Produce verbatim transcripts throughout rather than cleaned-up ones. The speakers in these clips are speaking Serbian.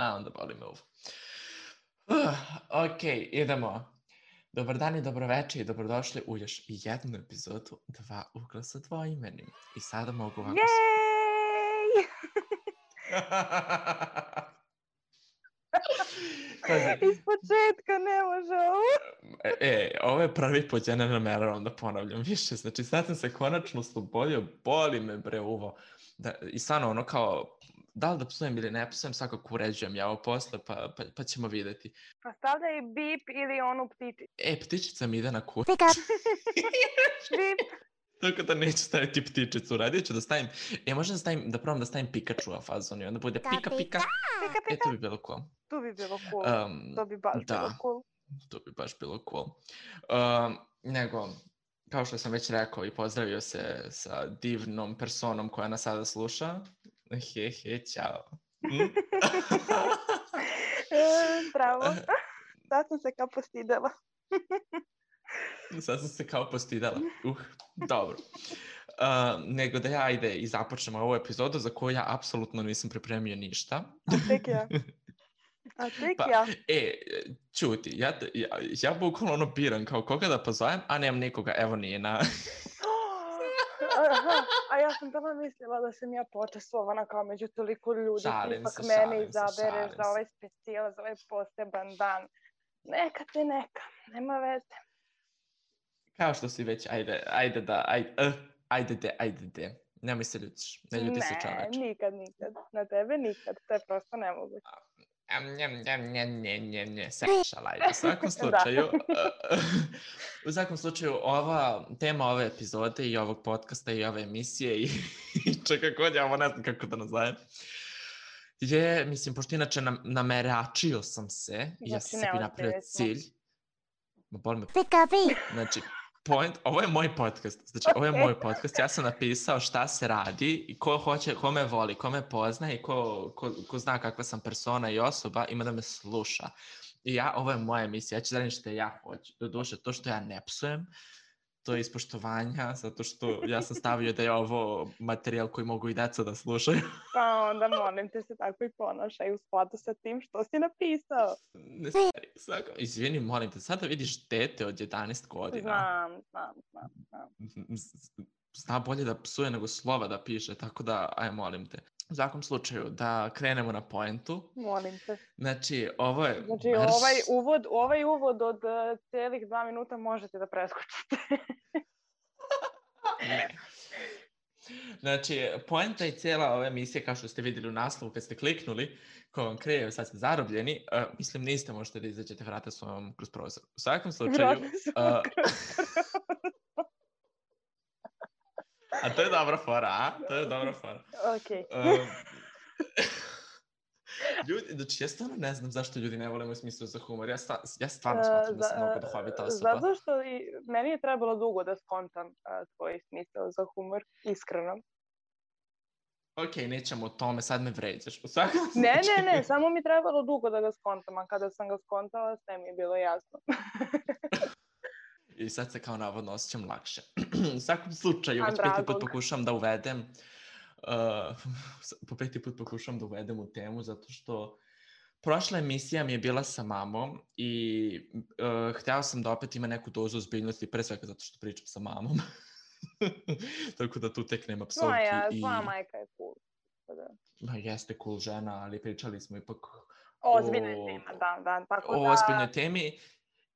A, onda boli me uvo. Uh, ok, idemo. Dobar dan i dobroveče i dobrodošli u još jednu epizodu Dva ugla sa dvoimenim. I sada mogu ovako... Jej! Iz početka ne može ovo. E, ovo je prvi put, ja ne nameravam da ponavljam više. Znači, sad sam se konačno oslobodio, boli me bre uvo. Da, I stvarno ono kao, da li da psujem ili ne psujem, svakako uređujem ja ovo posle, pa, pa, pa ćemo vidjeti. Pa stavljaj bip ili onu ptičicu. E, ptičica mi ide na kuć. Bip. Tako da neću staviti ptičicu, radit ću da stavim, e možda da stavim, da probam da stavim Pikachu u fazon i onda bude pika pika, Pika, e to bi bilo cool. To bi bilo cool, Um, to bi baš da, bilo cool. to bi baš bilo cool. Um, nego, kao što sam već rekao i pozdravio se sa divnom personom koja nas sada sluša. He he, čao. Mm? Bravo, sad sam se kao postidela. Sad sam se kao postidala. Uh, dobro. Uh, nego da ja ide i započnemo ovu epizodu za koju ja apsolutno nisam pripremio ništa. A tek ja. A tek pa, ja. E, čuti, ja, ja, ja bukvalno ono biram kao koga da pozovem, a nemam nikoga, evo nije na... Aha, a ja sam tamo mislila da sam ja počestvovana kao među toliko ljudi. Šalim ipak se, mene šalim se, izabereš šalim za ovaj se. specijal, za ovaj poseban dan. Neka te neka, nema veze. Kao što si već, ajde, ajde da, ajde, uh, ajde de, ajde de. Nemoj se ljutiš, ne ljuti se čoveč. Ne, nikad, nikad. Na tebe nikad, to je prosto nemoguće. Um, njem, njem, njem, njem, njem, njem, sešala, ajde. U svakom slučaju, uh, u svakom slučaju, ova tema ove epizode i ovog podcasta i ove emisije i, i čeka god ja ovo ne znam kako da nazovem, je, mislim, pošto inače nam, nameračio sam se, i ja sam Znači, sebi napravio neozbiljni smo. cilj. Ma boli me. Znači, point, ovo je moj podcast, znači ovo je Ok. moj podcast, ja sam napisao šta se radi i ko hoće, ko me voli, ko me pozna i ko, ko, ko zna kakva sam persona i osoba, ima da me sluša. I ja, ovo je moja emisija, ja ću da radim što ja hoću. Doduše, to što ja ne psujem, to je ispoštovanja, zato što ja sam stavio da je ovo materijal koji mogu i deca da slušaju. Pa onda molim te se tako i ponašaj u skladu sa tim što si napisao. Ne stari, svako, izvini, molim te, sada vidiš dete od jedanaest godina. Znam, znam, znam, znam. Zna bolje da psuje nego slova da piše, tako da, aj molim te. U svakom slučaju, da krenemo na poentu. Molim te. Znači, ovo je... Znači, marš... ovaj uvod, ovaj uvod od uh, cijelih dva minuta možete da preskočite. Ne. Znači, poenta je cijela ove emisije, kao što ste vidjeli u naslovu kad ste kliknuli, ko vam kreje, sad ste zarobljeni, uh, mislim, niste možete da izađete vrata s ovom kroz prozor. U svakom slučaju... Vrata su uh, kroz a to je dobra fora, a? To je dobra fora. Okej. Um, ljudi, znači ja stvarno ne znam zašto ljudi ne vole moj smisao za humor. Ja, sta, ja stvarno smatram da sam mnogo duhovita osoba. Zato što i meni je trebalo dugo da skontam uh, tvoj smisao za humor, iskreno. Ok, nećemo o tome, sad me vređaš. U svakom Ne, slučaju. ne, ne, samo mi trebalo dugo da ga skontam, a kada sam ga skontala, sve mi je bilo jasno. I sad se kao navodno osjećam lakše. U svakom slučaju, A, već peti put dragog. pokušam da uvedem uh, po peti put pokušam da uvedem u temu, zato što prošla emisija mi je bila sa mamom i uh, htjela sam da opet ima neku dozu ozbiljnosti, pre svega zato što pričam sa mamom. Tako da tu tek nema psovki. Moja, i... tvoja majka je cool. Da. Ma jeste cool žena, ali pričali smo ipak Ozbiljna o, je tema, da, da. Tako o da, ozbiljnoj temi.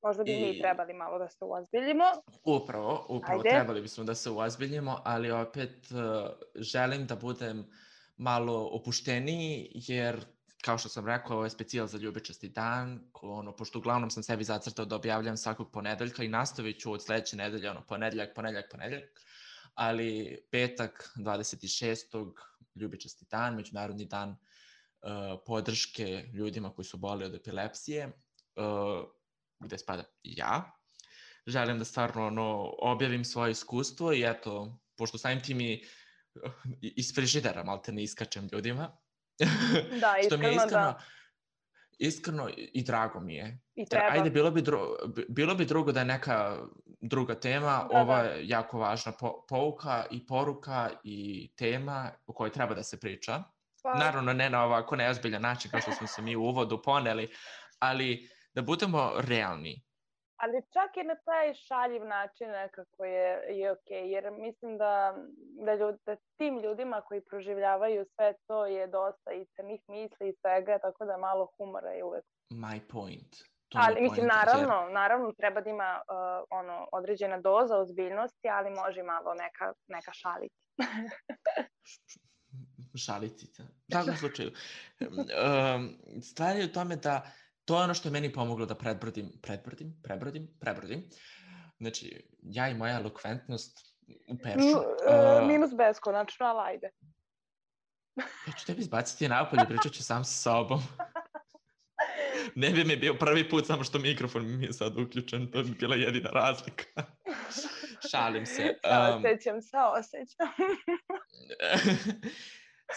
možda bi i- mi trebali malo da se uozbiljimo. Upravo, upravo Ajde. trebali bismo da se uozbiljimo, ali opet uh, želim da budem malo opušteniji, jer kao što sam rekao, ovo je specijal za ljubičasti dan, ko, ono, pošto uglavnom sam sebi zacrtao da objavljam svakog ponedeljka i nastavit ću od sledeće nedelje, ono, ponedeljak, ponedeljak, ponedeljak, ali petak, dvadeset šestog ljubičasti dan, međunarodni dan uh, podrške ljudima koji su boleli od epilepsije, uh, gde spada i ja. Želim da stvarno ono, objavim svoje iskustvo i eto, pošto samim tim i iz frižidera malte ne iskačem ljudima. Da, Što mi je iskreno, iskreno, da. iskreno i drago mi je. I Jer, treba. ajde, bilo bi, dru, bilo bi drugo da je neka druga tema, Da, ova da. je jako važna po, pouka i poruka i tema o kojoj treba da se priča. Pa, naravno ne na ovako neozbiljan način kao što smo se mi u uvodu poneli, ali da budemo realni. ali čak i na taj šaljiv način nekako je, je ok, jer mislim da, da, ljud, da tim ljudima koji proživljavaju sve to je dosta i crnih misli i svega, tako da malo humora je uvek. My point. To ali je mislim, point, naravno, jer... naravno treba da ima uh, ono, određena doza ozbiljnosti, ali može malo neka, neka šalica. Šalicica. U svakom slučaju. Um, stvar je u tome da to je ono što je meni pomoglo da predbrodim, predbrodim, prebrodim, prebrodim. Znači, ja i moja elokventnost u peršu. Uh, uh, minus beskonačno, ali ajde. Ja ću tebi izbaciti napolje, pričat ću sam sa sobom. Ne bi mi bio prvi put, samo što mikrofon mi je sad uključen, to bi bila jedina razlika. Šalim se. Saosećam, saosećam.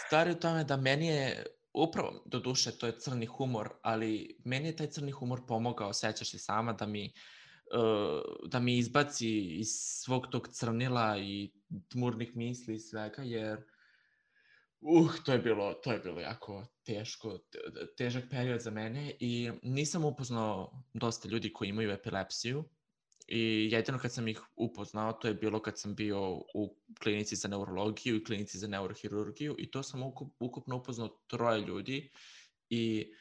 Stvar je u tome da meni je, upravo, do duše, to je crni humor, ali meni je taj crni humor pomogao, sećaš se sama, da mi, uh, da mi izbaci iz svog tog crnila i tmurnih misli i svega, jer Uh, to je bilo, to je bilo jako teško, težak period za mene i nisam upoznao dosta ljudi koji imaju epilepsiju i jedino kad sam ih upoznao to je bilo kad sam bio u klinici za neurologiju i klinici za neurohirurgiju i to sam ukup, ukupno upoznao troje ljudi i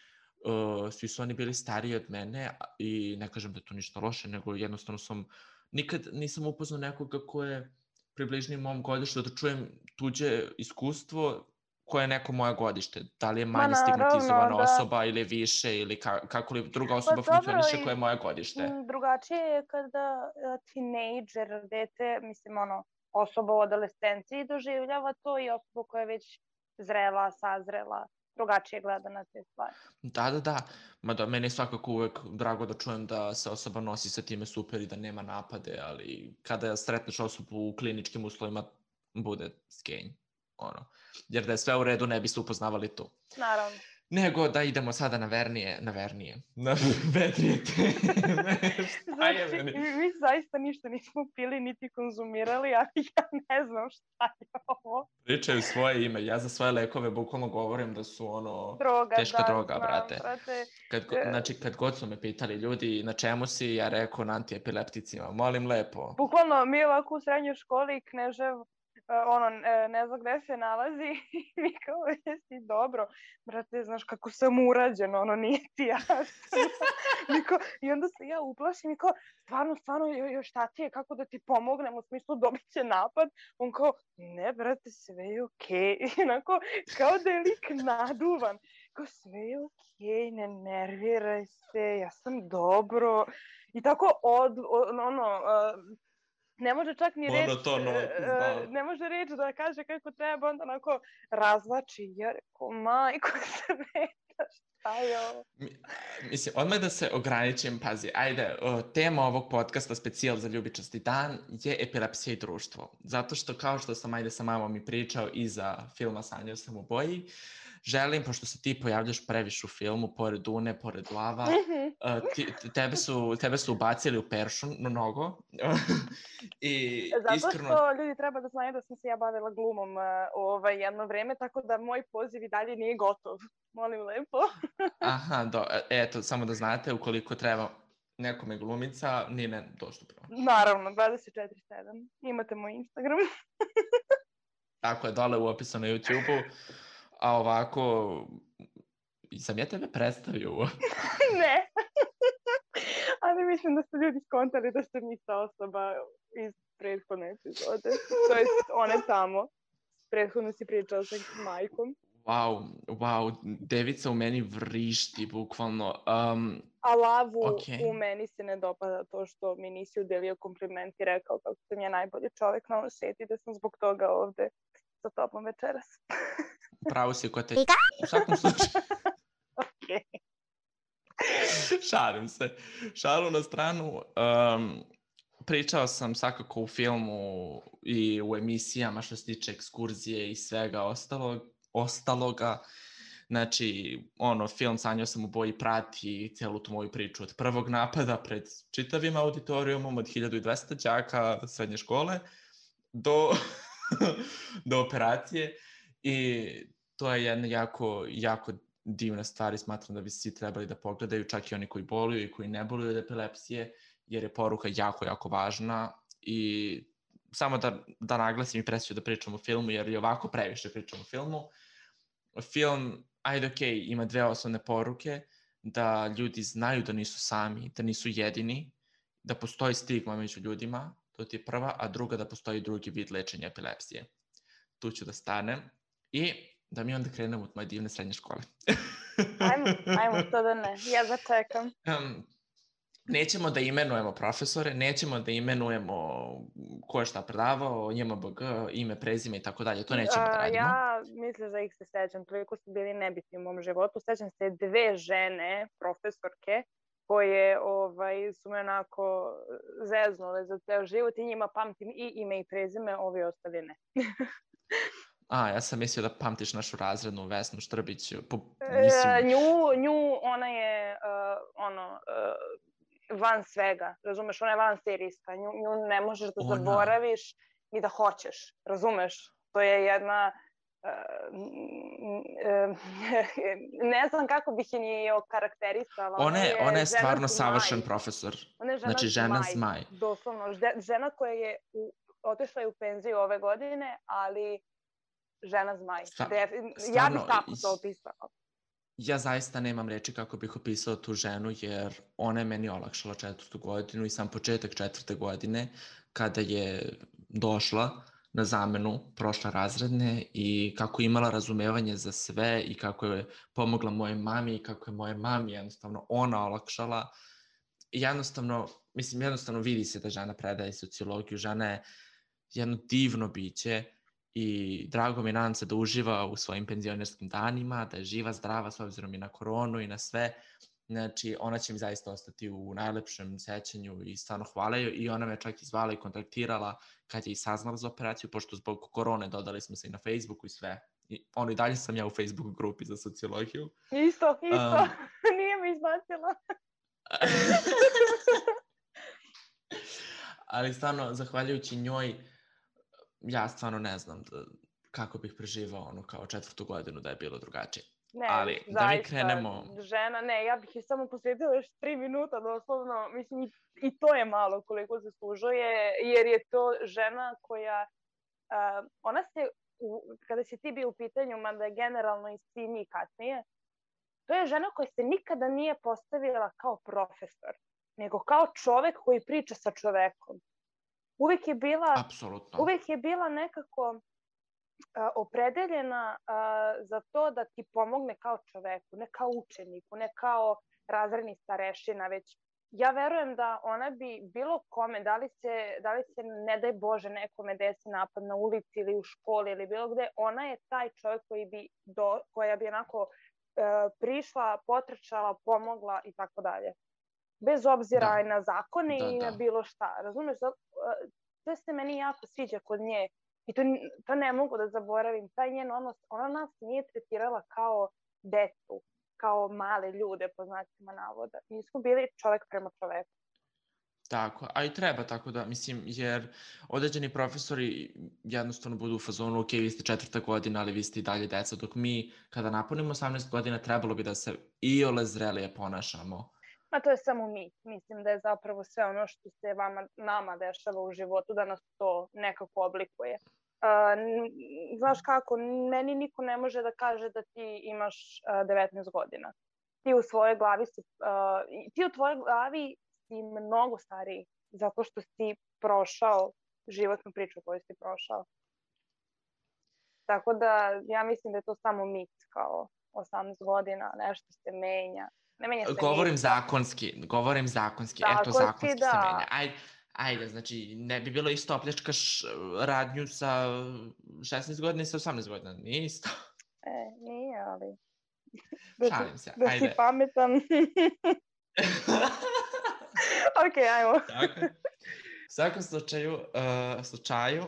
uh, svi su oni bili stariji od mene i ne kažem da je to ništa loše, nego jednostavno sam, nikad nisam upoznao nekoga ko je približni mom godištu, da čujem tuđe iskustvo koje je neko moje godište. Da li je manje stigmatizovana da. osoba ili više, ili ka, kako li druga osoba pa, funkcioniše koje je moje godište. Drugačije je kada tinejdžer, dete, mislim ono, osoba u adolescenciji doživljava to i osoba koja je već zrela, sazrela, drugačije gleda na te stvari. Da, da, da. Mada meni je svakako uvek drago da čujem da se osoba nosi sa time super i da nema napade, ali kada sretneš osobu u kliničkim uslovima, bude skenj. Ono. Jer da je sve u redu, ne bi se upoznavali tu. Naravno. Nego da idemo sada na vernije, na vernije, na vedrije teme. Znači, mi zaista ništa nismo pili niti konzumirali, ali ja ne znam šta je ovo. Pričaju svoje ime, ja za svoje lekove bukvalno govorim da su ono droga, teška da, droga, znam, brate. brate. Kad, znači, kad god su me pitali ljudi na čemu si, ja rekao na antiepilepticima, molim lepo. Bukvalno, mi ovako u srednjoj školi Knežev, ono, ne zna gde se nalazi i mi kao, jesi dobro, brate, znaš kako sam urađen, ono, nije ti jasno. I onda se ja uplašim i kao, stvarno, stvarno, jo, šta ti je, kako da ti pomognem, u smislu dobit će napad. On kao, ne, brate, sve je okej. Okay. Inako, kao da je lik naduvan. Kao, sve je okej, okay, ne nerviraj se, ja sam dobro. I tako, od, od ono... Uh, ne može čak ni reč, Monotono, uh, ne može reč da kaže kako treba, onda onako razlači, ja rekao, majko sveta, šta je ovo? Mislim, odmah da se ograničim, pazi, ajde, o, tema ovog podcasta, specijal za ljubičasti dan, je epilepsija i društvo. Zato što, kao što sam, ajde, sa mamom i pričao iza filma Sanjao sam u boji, želim, pošto se ti pojavljaš previše u filmu, pored Une, pored Lava, mm-hmm. uh, ti, tebe, su, tebe su ubacili u peršu mnogo. I zato iskreno... što ljudi treba da znaju da sam se ja bavila glumom uh, ovaj, jedno vreme, tako da moj poziv i dalje nije gotov. Molim lepo. Aha, do, eto, samo da znate, ukoliko treba nekome glumica, nije ne dostupno. Naravno, dvadeset četiri sedam. Imate moj Instagram. Tako je, dole u opisu na YouTube-u. A ovako, sam ja tebe predstavio? Ne. Ali mislim da su ljudi skontali da sam ista osoba iz prethodne epizode. To je one tamo. Prethodno si pričao sa majkom. Wow, wow, devica u meni vrišti, bukvalno. Um, A Lavu okay. u meni se ne dopada to što mi nisi udelio kompliment i rekao kako sam ja najbolji čovjek na ovom svijetu i da sam zbog toga ovde sa tobom večeras. Pravo si ko te... U svakom slučaju. Okay. Šalim se. Šalu na stranu. Um, pričao sam svakako u filmu i u emisijama što se tiče ekskurzije i svega ostalog, ostaloga. Znači, ono, film Sanjao sam u boji prati celu tu moju priču od prvog napada pred čitavim auditorijumom od hiljadu dvesta đaka srednje škole do, do operacije. I to je jedna jako, jako divna stvar i smatram da bi svi trebali da pogledaju, čak i oni koji boluju i koji ne boluju od epilepsije, jer je poruka jako, jako važna i samo da, da naglasim i presiju da pričam o filmu, jer je ovako previše pričam o filmu. Film, ajde okej, ima dve osnovne poruke, da ljudi znaju da nisu sami, da nisu jedini, da postoji stigma među ljudima, to ti je prva, a druga da postoji drugi vid lečenja epilepsije. Tu ću da stanem i da mi onda krenemo od moje divne srednje škole. Ajmo, ajmo, što da ne, ja da čekam. Um, nećemo da imenujemo profesore, nećemo da imenujemo ko je šta predavao, J M B G, ime, prezime i tako dalje, to nećemo da radimo. Ja mislim da ih se sećam, toliko su bili nebitni u mom životu. Sećam se dve žene, profesorke, koje ovaj, su me onako zeznule za ceo život i njima pamtim i ime i prezime, ovi ostali ne. A, ja sam mislio da pamtiš našu razrednu Vesnu Štrbić. Po, mislim... e, nju, nju, ona je uh, ono, uh, van svega, razumeš, ona je van serijska, nju, nju ne možeš da ona... zaboraviš ni da hoćeš, razumeš, to je jedna... Uh, ne znam kako bih je ni okarakterisala. Ona je, ona je stvarno savršen profesor. Ona je žena, znači, žena zmaj. zmaj. Doslovno, žena koja je u, otišla je u penziju ove godine, ali žena zmaj. Sta, stvarno, ja bih tako to opisala. Ja zaista nemam reči kako bih opisao tu ženu, jer ona je meni olakšala četvrtu godinu i sam početak četvrte godine, kada je došla na zamenu, prošla razredne i kako je imala razumevanje za sve i kako je pomogla moje mami i kako je moje mami jednostavno ona olakšala. I jednostavno, mislim, jednostavno vidi se da žena predaje sociologiju, žena je jedno divno biće i drago mi, nadam se da uživa u svojim penzionerskim danima, da je živa, zdrava, s obzirom i na koronu i na sve. Znači, ona će mi zaista ostati u najlepšem sećanju i stvarno hvala joj. I ona me čak izvala i kontaktirala kad je i saznala za operaciju, pošto zbog korone dodali smo se i na Facebooku i sve. I ono i dalje sam ja u Facebook grupi za sociologiju. Isto, isto. Um, Nije mi izbacila. Ali stvarno, zahvaljujući njoj, ja stvarno ne znam da, kako bih preživao ono kao četvrtu godinu da je bilo drugačije. Ne, ali zaista, da mi krenemo... žena, ne, ja bih je samo posvetila još tri minuta doslovno, mislim i, i to je malo koliko zaslužuje, jer je to žena koja, uh, ona se, u, kada si ti bio u pitanju, mada je generalno i svi mi kasnije, to je žena koja se nikada nije postavila kao profesor, nego kao čovek koji priča sa čovekom. Uvijek je bila, Apsolutno. Uvijek je bila nekako opredeljena uh, za to da ti pomogne kao čoveku, ne kao učeniku, ne kao razredni starešina, već ja verujem da ona bi bilo kome, da li se, da li se ne daj Bože nekome desi napad na ulici ili u školi ili bilo gde, ona je taj čovjek koji bi do, koja bi onako uh, prišla, potrčala, pomogla i tako dalje. Bez obzira da. na zakone da, i da. na bilo šta. Razumeš? Uh, to se meni jako sviđa kod nje. I to, to ne mogu da zaboravim. Taj njen odnos, ona nas nije tretirala kao decu, kao male ljude, po znacima navoda. Mi smo bili čovek prema čoveku. Tako, a i treba tako da, mislim, jer određeni profesori jednostavno budu u fazonu, ok, vi ste četvrta godina, ali vi ste i dalje deca, dok mi, kada napunimo osamnaest godina, trebalo bi da se iole zrelije ponašamo. Ma to je samo mi. Mislim da je zapravo sve ono što se vama, nama dešava u životu, da nas to nekako oblikuje. Uh, znaš kako, meni niko ne može da kaže da ti imaš uh, devetnaest godina. Ti u svojoj glavi si, uh, ti u tvojoj glavi si mnogo stariji, zato što si prošao životnu priču koju si prošao. Tako da ja mislim da je to samo mit, kao osamnaest godina, nešto se menja. Ne menja se govorim ništa. zakonski, govorim zakonski, zakonski eto zakonski da. se menja. Ajde. Ajde, znači, ne bi bilo isto opljačkaš radnju sa šesnaest godina i sa osamnaest godina, nije isto. E, nije, ali... Šalim se, da ajde. Da si pametan. Ok, ajmo. Tako. U svakom slučaju, uh, slučaju,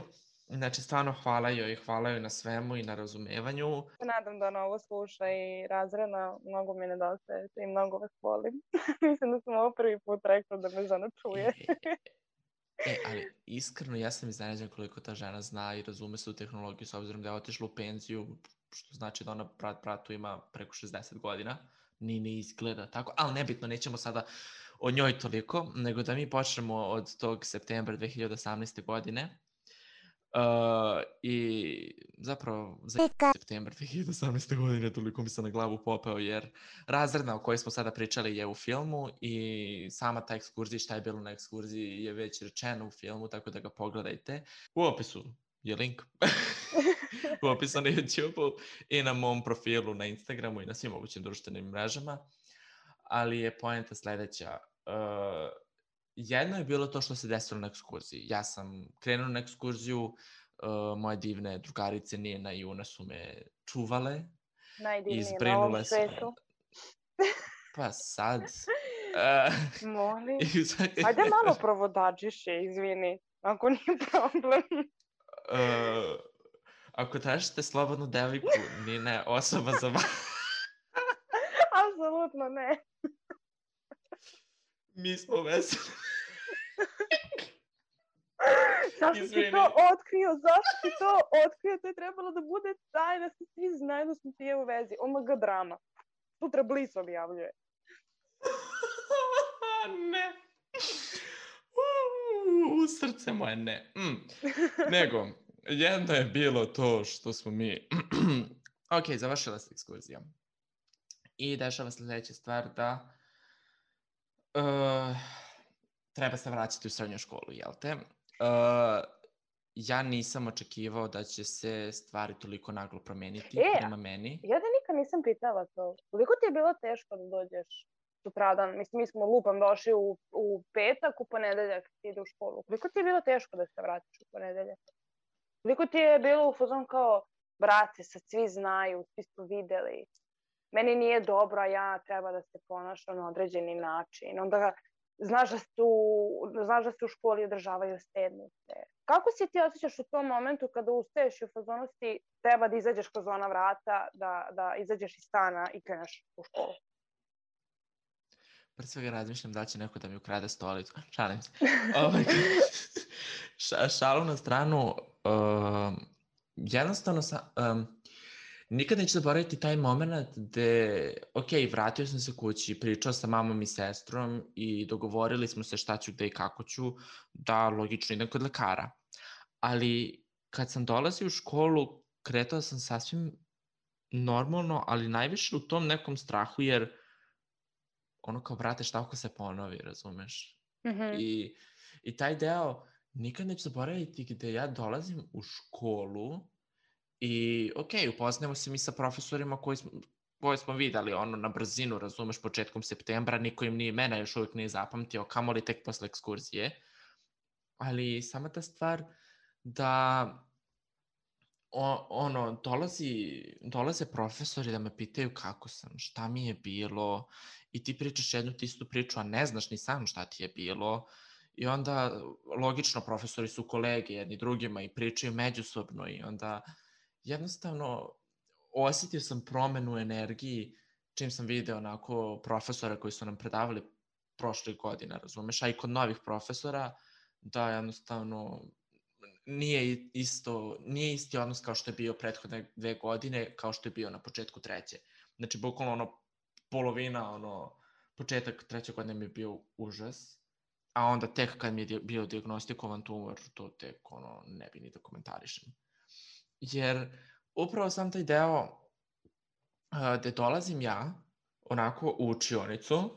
znači, stvarno hvala joj, hvala joj na svemu i na razumevanju. Nadam da ona ovo sluša i razredna, mnogo mi nedostaje i mnogo vas volim. Mislim da sam ovo prvi put rekla da me žena čuje. E, ali iskreno ja sam iznenađen koliko ta žena zna i razume se u tehnologiju s obzirom da je otišla u penziju što znači da ona brat bratu ima preko šezdeset godina, ni ne izgleda tako, ali nebitno, nećemo sada o njoj toliko, nego da mi počnemo od tog septembra dve hiljade osamnaeste. godine. Uh, I zapravo za septembar dve hiljade osamnaeste. godine toliko mi se na glavu popeo, jer razredna o kojoj smo sada pričali je u filmu i sama ta ekskurzija, šta je bilo na ekskurziji je već rečeno u filmu, tako da ga pogledajte. U opisu je link. U opisu na YouTube-u i na mom profilu na Instagramu i na svim mogućim društvenim mrežama. Ali je poenta sledeća. Uh, jedno je bilo to što se desilo na ekskurziji. Ja sam krenuo na ekskurziju, uh, moje divne drugarice Nina i Una su me čuvale. Najdivnije na ovom svetu. Pa sad... Uh, Molim. Ajde malo provodačiše, izvini, ako nije problem. uh, ako tražite slobodnu devojku, Nina je osoba za vas. Apsolutno ne. Mi smo veseli. Zašto si to otkrio? Zašto si to otkrio? To je trebalo da bude tajna, da svi znaju da smo ti u vezi. O M G drama. Sutra Bliss objavljuje. Ne. U srce moje ne. Mm. Nego, jedno je bilo to što smo mi... ok, završila se ekskurzija. I dešava sljedeća stvar da uh, treba se vraćati u srednju školu, jel te? Uh, ja nisam očekivao da će se stvari toliko naglo promeniti e, prema meni. Ja da nikad nisam pitala to. Koliko ti je bilo teško da dođeš sutradan? Mislim, mi smo lupam došli u, u petak, u ponedeljak ti ide u školu. Koliko ti je bilo teško da se vratiš u ponedeljak? Koliko ti je bilo u fazon kao, brate, sad svi znaju, svi su videli. Meni nije dobro, a ja treba da se ponašam na određeni način. Onda znaš da, su, znaš da se u školi održavaju sedmice. Kako si ti osjećaš u tom momentu kada ustaješ i u fazonu si treba da izađeš kroz ona vrata, da, da izađeš iz stana i kreneš u školu? Pre svega razmišljam da će neko da mi ukrade stolicu. Šalim se. Ovaj, ša, šalu na stranu, uh, jednostavno sam... Um, Nikad neću zaboraviti taj moment gde, ok, vratio sam se kući, pričao sa mamom i sestrom i dogovorili smo se šta ću, gde i kako ću, da logično idem kod lekara. Ali kad sam dolazio u školu, kretao sam sasvim normalno, ali najviše u tom nekom strahu, jer ono kao, brate, šta ako se ponovi, razumeš? Mm-hmm. I, I taj deo nikad neću zaboraviti gde ja dolazim u školu. I, ok, upoznamo se mi sa profesorima koji smo, koje smo videli ono na brzinu, razumeš, početkom septembra, niko im ni imena još uvijek nije zapamtio, kamoli tek posle ekskurzije. Ali sama ta stvar da o, ono, dolazi, dolaze profesori da me pitaju kako sam, šta mi je bilo i ti pričaš jednu ti istu priču, a ne znaš ni sam šta ti je bilo. I onda, logično, profesori su kolege jedni drugima i pričaju međusobno i onda... Jednostavno, osjetio sam promenu u energiji čim sam video onako profesora koji su nam predavali prošle godine, razumeš, a i kod novih profesora, da jednostavno nije isto, nije isti odnos kao što je bio prethodne dve godine, kao što je bio na početku treće. Znači, bukvalno ono, polovina, ono, početak treće godine mi je bio užas, a onda tek kad mi je bio dijagnostikovan tumor, to tek, ono, ne bi ni da komentarišem. Jer upravo sam taj deo uh, gde dolazim ja onako u učionicu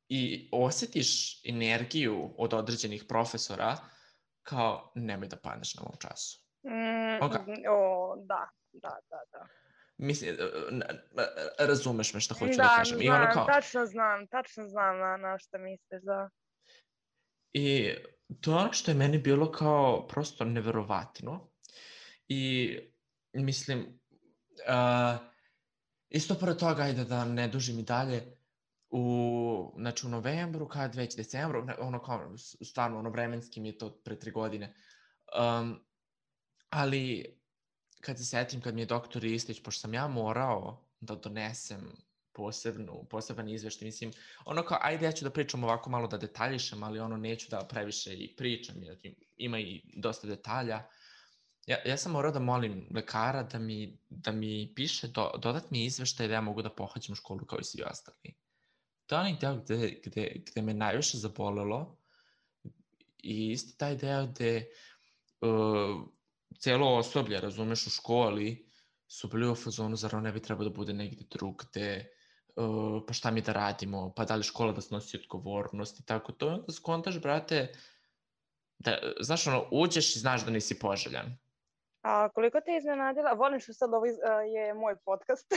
i osjetiš energiju od određenih profesora kao nemoj da padneš na ovom času. Mm, okay. O, da, da, da, da. Mislim, razumeš me šta hoću da, da kažem. Da, znam, kao... tačno znam, tačno znam na, na šta misliš, da. I to je ono što je meni bilo kao prosto neverovatno. I mislim, uh, isto pored toga, ajde da ne dužim i dalje, u, znači u novembru, kad već decembru, ono kao, stvarno, ono vremenski mi je to pre tri godine, um, ali kad se setim, kad mi je doktor Ristić, pošto sam ja morao da donesem posebnu, poseban izveštaj, mislim, ono kao, ajde ja ću da pričam ovako malo da detaljišem, ali ono neću da previše i pričam, jer ima i dosta detalja. Ja, ja sam morao da molim lekara da mi, da mi piše, do, dodat mi izveštaj da ja mogu da pohađam školu kao i svi ostali. To je onaj deo gde, gde, gde me najviše zabolelo i isto taj deo gde uh, celo osoblje, razumeš, u školi su bili u fazonu, zar on ne bi trebao da bude negde drugde, uh, pa šta mi da radimo, pa da li škola da snosi odgovornost i tako to. Onda skontaš, brate, da, znaš, ono, uđeš i znaš da nisi poželjan. A koliko te je iznenadila, volim što sad ovo iz, a, je moj podcast,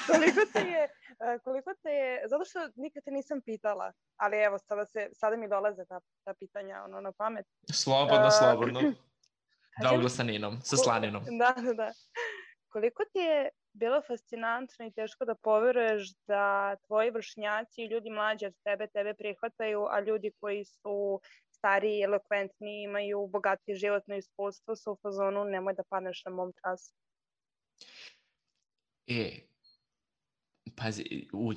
koliko te je, a, koliko te je, zato što nikad te nisam pitala, ali evo, sada, se, sada mi dolaze ta, ta pitanja ono, na pamet. Slobodno, A, slobodno. Da, kažem, uglesaninom, sa ko, slaninom. da, da, da. Koliko ti je bilo fascinantno i teško da poveruješ da tvoji vršnjaci i ljudi mlađi od tebe tebe prihvataju, a ljudi koji su stariji, elokventni, imaju bogatije životno iskustvo, su u fazonu nemoj da padneš na mom času. E, pazi, uj.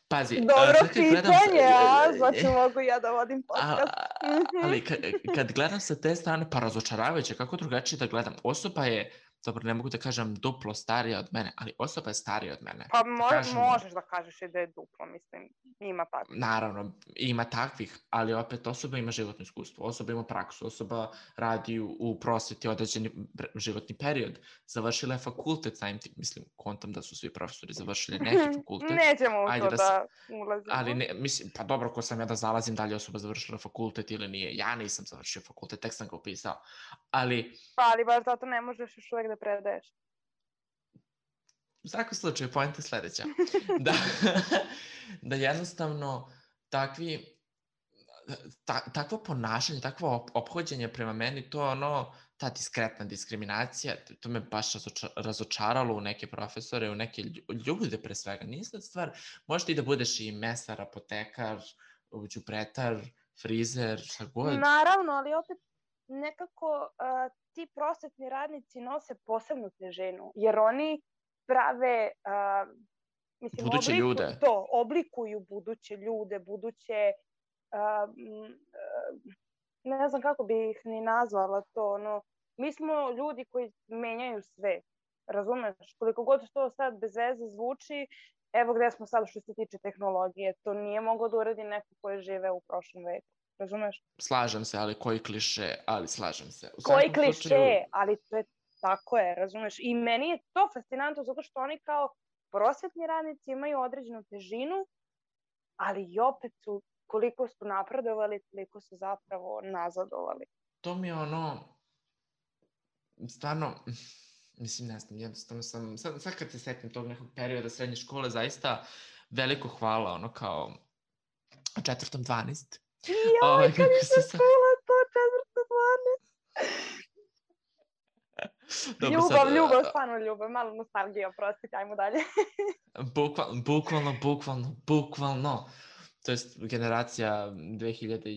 Pazi, Dobro sad kad gledam... pitanje, a? Znači mogu ja da vodim podcast. A, ali kad, kad gledam sa te strane, pa razočaravajuće, kako drugačije da gledam. Osoba je, dobro, ne mogu da kažem duplo starija od mene, ali osoba je starija od mene. Pa Da mo kažemo, možeš da kažeš i da je duplo, mislim, ima tako. naravno, ima takvih, ali opet osoba ima životno iskustvo, osoba ima praksu, osoba radi u, u prosveti određeni životni period, završila je fakultet, samim tim, mislim, kontam da su svi profesori završili neki fakultet. Nećemo u Ajde to da, da ulazimo. ali ne, mislim, pa dobro, ko sam ja da zalazim da li je osoba završila fakultet ili nije. Ja nisam završio fakultet, tek sam ga upisao. Ali, Pa, ali baš zato ne možeš još uvek da predaješ. u svakom slučaju, poenta je sledeća. Da, da jednostavno takvi, ta, takvo ponašanje, takvo ophođenje prema meni, to je ono, ta diskretna diskriminacija, to me baš razoča, razočaralo u neke profesore, u neke ljude pre svega. Nije sad stvar, možeš ti da budeš i mesar, apotekar, đubretar, frizer, šta god. Naravno, ali opet nekako uh, ti prosvetni radnici nose posebnu težinu, jer oni prave, uh, mislim, buduće obliku, ljude. To, oblikuju buduće ljude, buduće, uh, uh, ne znam kako bi ih ni nazvala to, ono, mi smo ljudi koji menjaju sve, razumeš, koliko god to sad bez veze zvuči, evo gde smo sad što se tiče tehnologije, to nije moglo da uradi neko koji žive u prošlom veku. Razumeš? Slažem se, ali koji kliše, ali slažem se. U koji kliše, slučaju... ali to je tako je, razumeš? I meni je to fascinantno zato što oni kao prosvetni radnici imaju određenu težinu, ali i opet su, koliko su napredovali, koliko su zapravo nazadovali. To mi je ono, stvarno, mislim, ne znam, jednostavno sam, sad, sad kad se setim tog nekog perioda srednje škole, zaista veliko hvala, ono kao četvrtom dvanaest. Joj, kad je se čula to četvrtom dvanaest. Dobro, ljubav, sad, ljubav, stvarno ljubav, malo nostalgija, oprostite, ajmo dalje. bukval, bukvalno, bukvalno, bukvalno, to jest generacija dve hiljade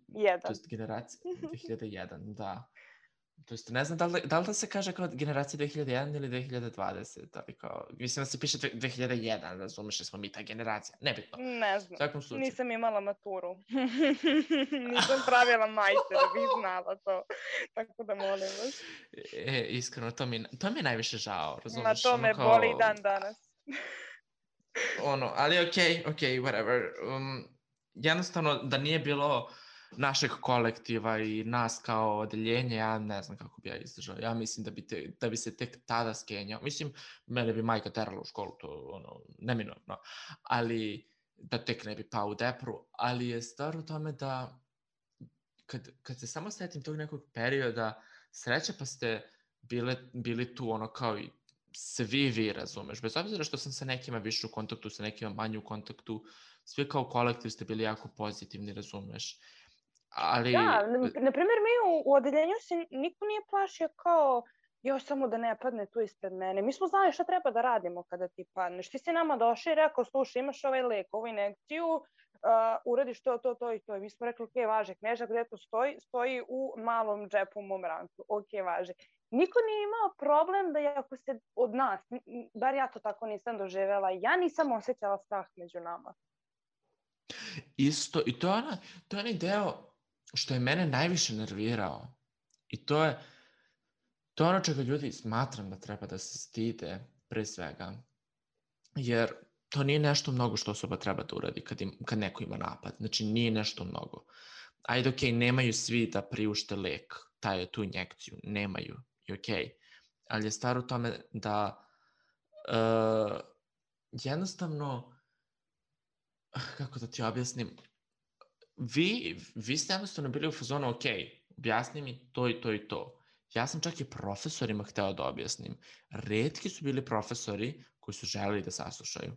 jedan. To jest generacija dve hiljade jedan, da. To jest, ne znam da li, da li da se kaže kao generacija dve hiljade jedan ili dve hiljade dvadeset, ali kao, mislim da se piše dve hiljade jedan, razumeš da smo mi ta generacija, nebitno. Ne znam, svakom slučaju. Nisam imala maturu. Nisam pravila majte da bih znala to, tako da molim vas. E, iskreno, to mi, to mi je najviše žao, razumeš? Na to me ono kao, boli dan danas. ono, ali okej, okay, okej, okay, whatever. Um, jednostavno, da nije bilo našeg kolektiva i nas kao odeljenje, ja ne znam kako bi ja izdržao. Ja mislim da bi, te, da bi se tek tada skenjao. Mislim, mene bi majka terala u školu, to ono, neminovno. Ali, da tek ne bi pao u depru. Ali je stvar u tome da, kad, kad se samo setim tog nekog perioda, sreća pa ste bile, bili tu ono kao i svi vi, razumeš. Bez obzira što sam sa nekima više u kontaktu, sa nekima manje u kontaktu, svi kao kolektiv ste bili jako pozitivni, razumeš. Ali... Da, na primjer, mi u, u odeljenju se niko nije plašio kao još samo da ne padne tu ispred mene. Mi smo znali šta treba da radimo kada ti padneš. Ti si nama došli i rekao, slušaj, imaš ovaj lek, ovu injekciju, uh, uradiš to, to, to i to. I mi smo rekli, ok, važe, knježa gde to stoji, stoji u malom džepu u mom rancu. Ok, važe. Niko nije imao problem da ako se od nas, bar ja to tako nisam doživjela, ja nisam osjećala strah među nama. Isto, i to je, ona, to je onaj deo što je mene najviše nervirao. I to je To je ono čega ljudi smatram da treba da se stide pre svega, jer to nije nešto mnogo što osoba treba da uradi kad, im, kad neko ima napad. Znači, nije nešto mnogo. Ajde, okej, okay, nemaju svi da priušte lek, taj, tu injekciju, nemaju, i okej. Okay. Ali je stvar u tome da uh, jednostavno, kako da ti objasnim, vi, vi ste jednostavno bili u fazonu, ok, objasni mi to i to i to. Ja sam čak i profesorima hteo da objasnim. Retki su bili profesori koji su želeli da saslušaju.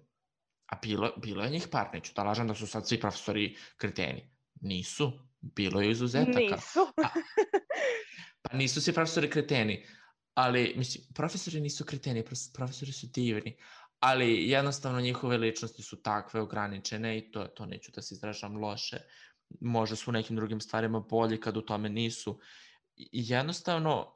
A bilo, bilo je njih par, neću da lažem da su sad svi profesori kreteni. Nisu. Bilo je izuzetaka. Nisu. A, pa nisu svi profesori kreteni. Ali, mislim, profesori nisu kreteni, profesori su divni. Ali jednostavno njihove ličnosti su takve ograničene i to, to neću da se izražam loše. Možda su u nekim drugim stvarima bolji kad u tome nisu. I jednostavno,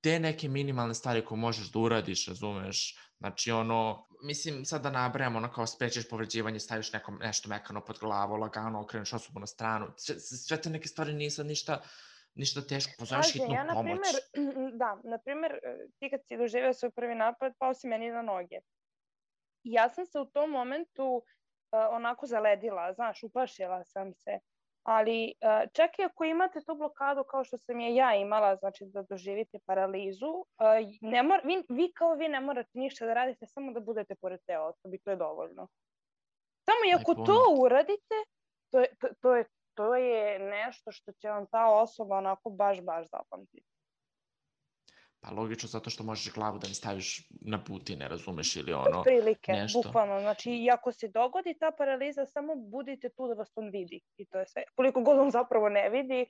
te neke minimalne stvari koje možeš da uradiš, razumeš, znači ono, mislim sad da nabrajam, ono kao sprečiš povređivanje, staviš nekom, nešto mekano pod glavu, lagano okreneš osobu na stranu, sve, sve te neke stvari nisu ništa, ništa teško, pozoveš hitnu ja, pomoć. Naprimer, da, na primjer, ti kad si doživio svoj prvi napad, pao si meni na noge. Ja sam se u tom momentu uh, onako zaledila, znaš, uplašila sam se. Ali uh, čak i ako imate tu blokadu kao što sam je ja imala, znači da doživite paralizu, uh, ne mor, vi, vi kao vi ne morate ništa da radite, samo da budete pored te osobe, to je dovoljno. Samo i ako to uradite, to je, to, to, je, to je nešto što će vam ta osoba onako baš, baš zapamtiti. Pa logično, zato što možeš glavu da mi staviš na puti, ne razumeš, ili ono prilike, nešto. Bukvalno, znači i ako se dogodi ta paraliza, samo budite tu da vas on vidi i to je sve. Koliko god on zapravo ne vidi,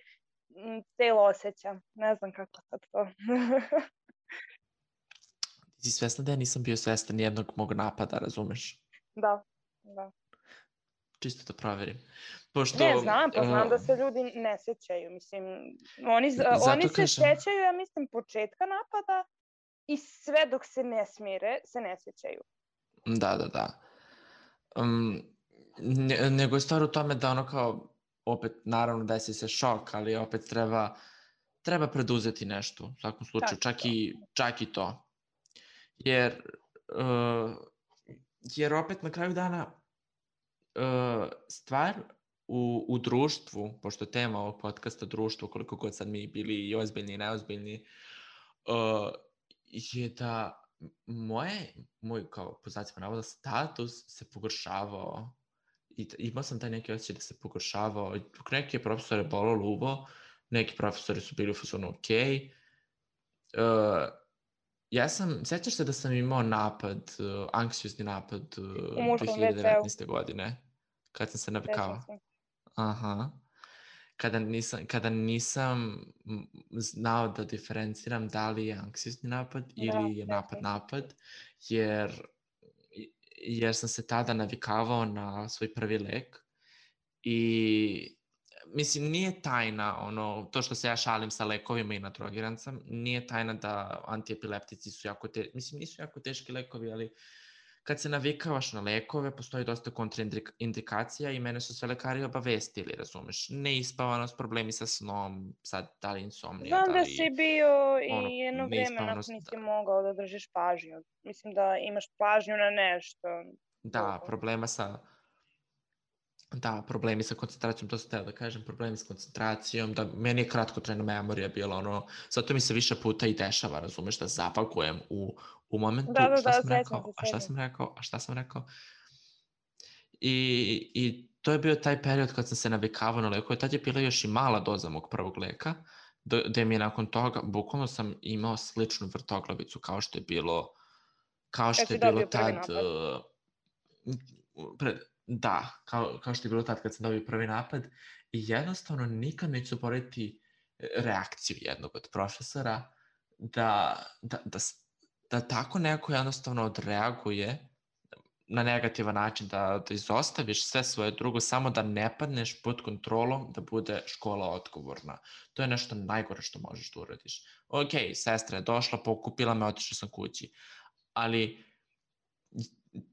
celo osjeća. Ne znam kako sad to. Ti si svesna da ja nisam bio svestan jednog mog napada, razumeš? Da, da. Čisto da proverim. Pošto, ne, znam, pa znam uh, da se ljudi ne sjećaju. Mislim, oni, oni se kažem... sjećaju, ja mislim, početka napada i sve dok se ne smire, se ne sjećaju. Da, da, da. Um, ne, nego je stvar u tome da ono kao, opet, naravno desi se šok, ali opet treba, treba preduzeti nešto. U svakom slučaju, čak i, čak i to. Jer, uh, jer opet na kraju dana uh, stvar u, u društvu, pošto je tema ovog podcasta društvo, koliko god sad mi bili i ozbiljni i neozbiljni, uh, je da moje, moj kao po znacima navoda status se pogoršavao i imao sam taj neki osjećaj da se pogoršavao. Neke profesore bolo luvo, neki profesori su bili u fazonu ok. Uh, ja sam, sjećaš se da sam imao napad, uh, anksiozni napad uh, dve hiljade devetnaeste. godine, kad sam se navikao. Aha. Kada nisam, kada nisam znao da diferenciram da li je anksiozni napad ili je napad napad, jer, jer sam se tada navikavao na svoj prvi lek i mislim, nije tajna, ono, to što se ja šalim sa lekovima i nadrogiran sam, nije tajna da antiepileptici su jako teški, mislim, nisu jako teški lekovi, ali kad se navikavaš na lekove, postoji dosta kontraindikacija i mene su sve lekari obavestili, razumeš? Neispavanost, problemi sa snom, sad da li insomnija, Znam da li... da si bio i ono, jedno vreme nakon nisi mogao da držiš pažnju. Mislim da imaš pažnju na nešto. Da, problema sa... Da, problemi sa koncentracijom, to sam teo da kažem, problemi sa koncentracijom, da meni je kratkotrajna memorija bila ono, zato mi se više puta i dešava, razumeš, da zapakujem u, u momentu, da, da, šta da, sam rekao, a šta sam rekao, a šta sam rekao. I, i to je bio taj period kad sam se navikavao na lekove, tad je bila još i mala doza mog prvog leka, gde mi je nakon toga, bukvalno sam imao sličnu vrtoglavicu kao što je bilo, kao što je bilo tad, uh, pred, Da, kao, kao što je bilo tad kad sam dobio prvi napad i jednostavno nikad neću zaboraviti reakciju jednog od profesora da, da, da, da tako neko jednostavno odreaguje na negativan način, da, da izostaviš sve svoje drugo, samo da ne padneš pod kontrolom, da bude škola odgovorna. To je nešto najgore što možeš da uradiš. Ok, sestra je došla, pokupila me, otišla sam kući, ali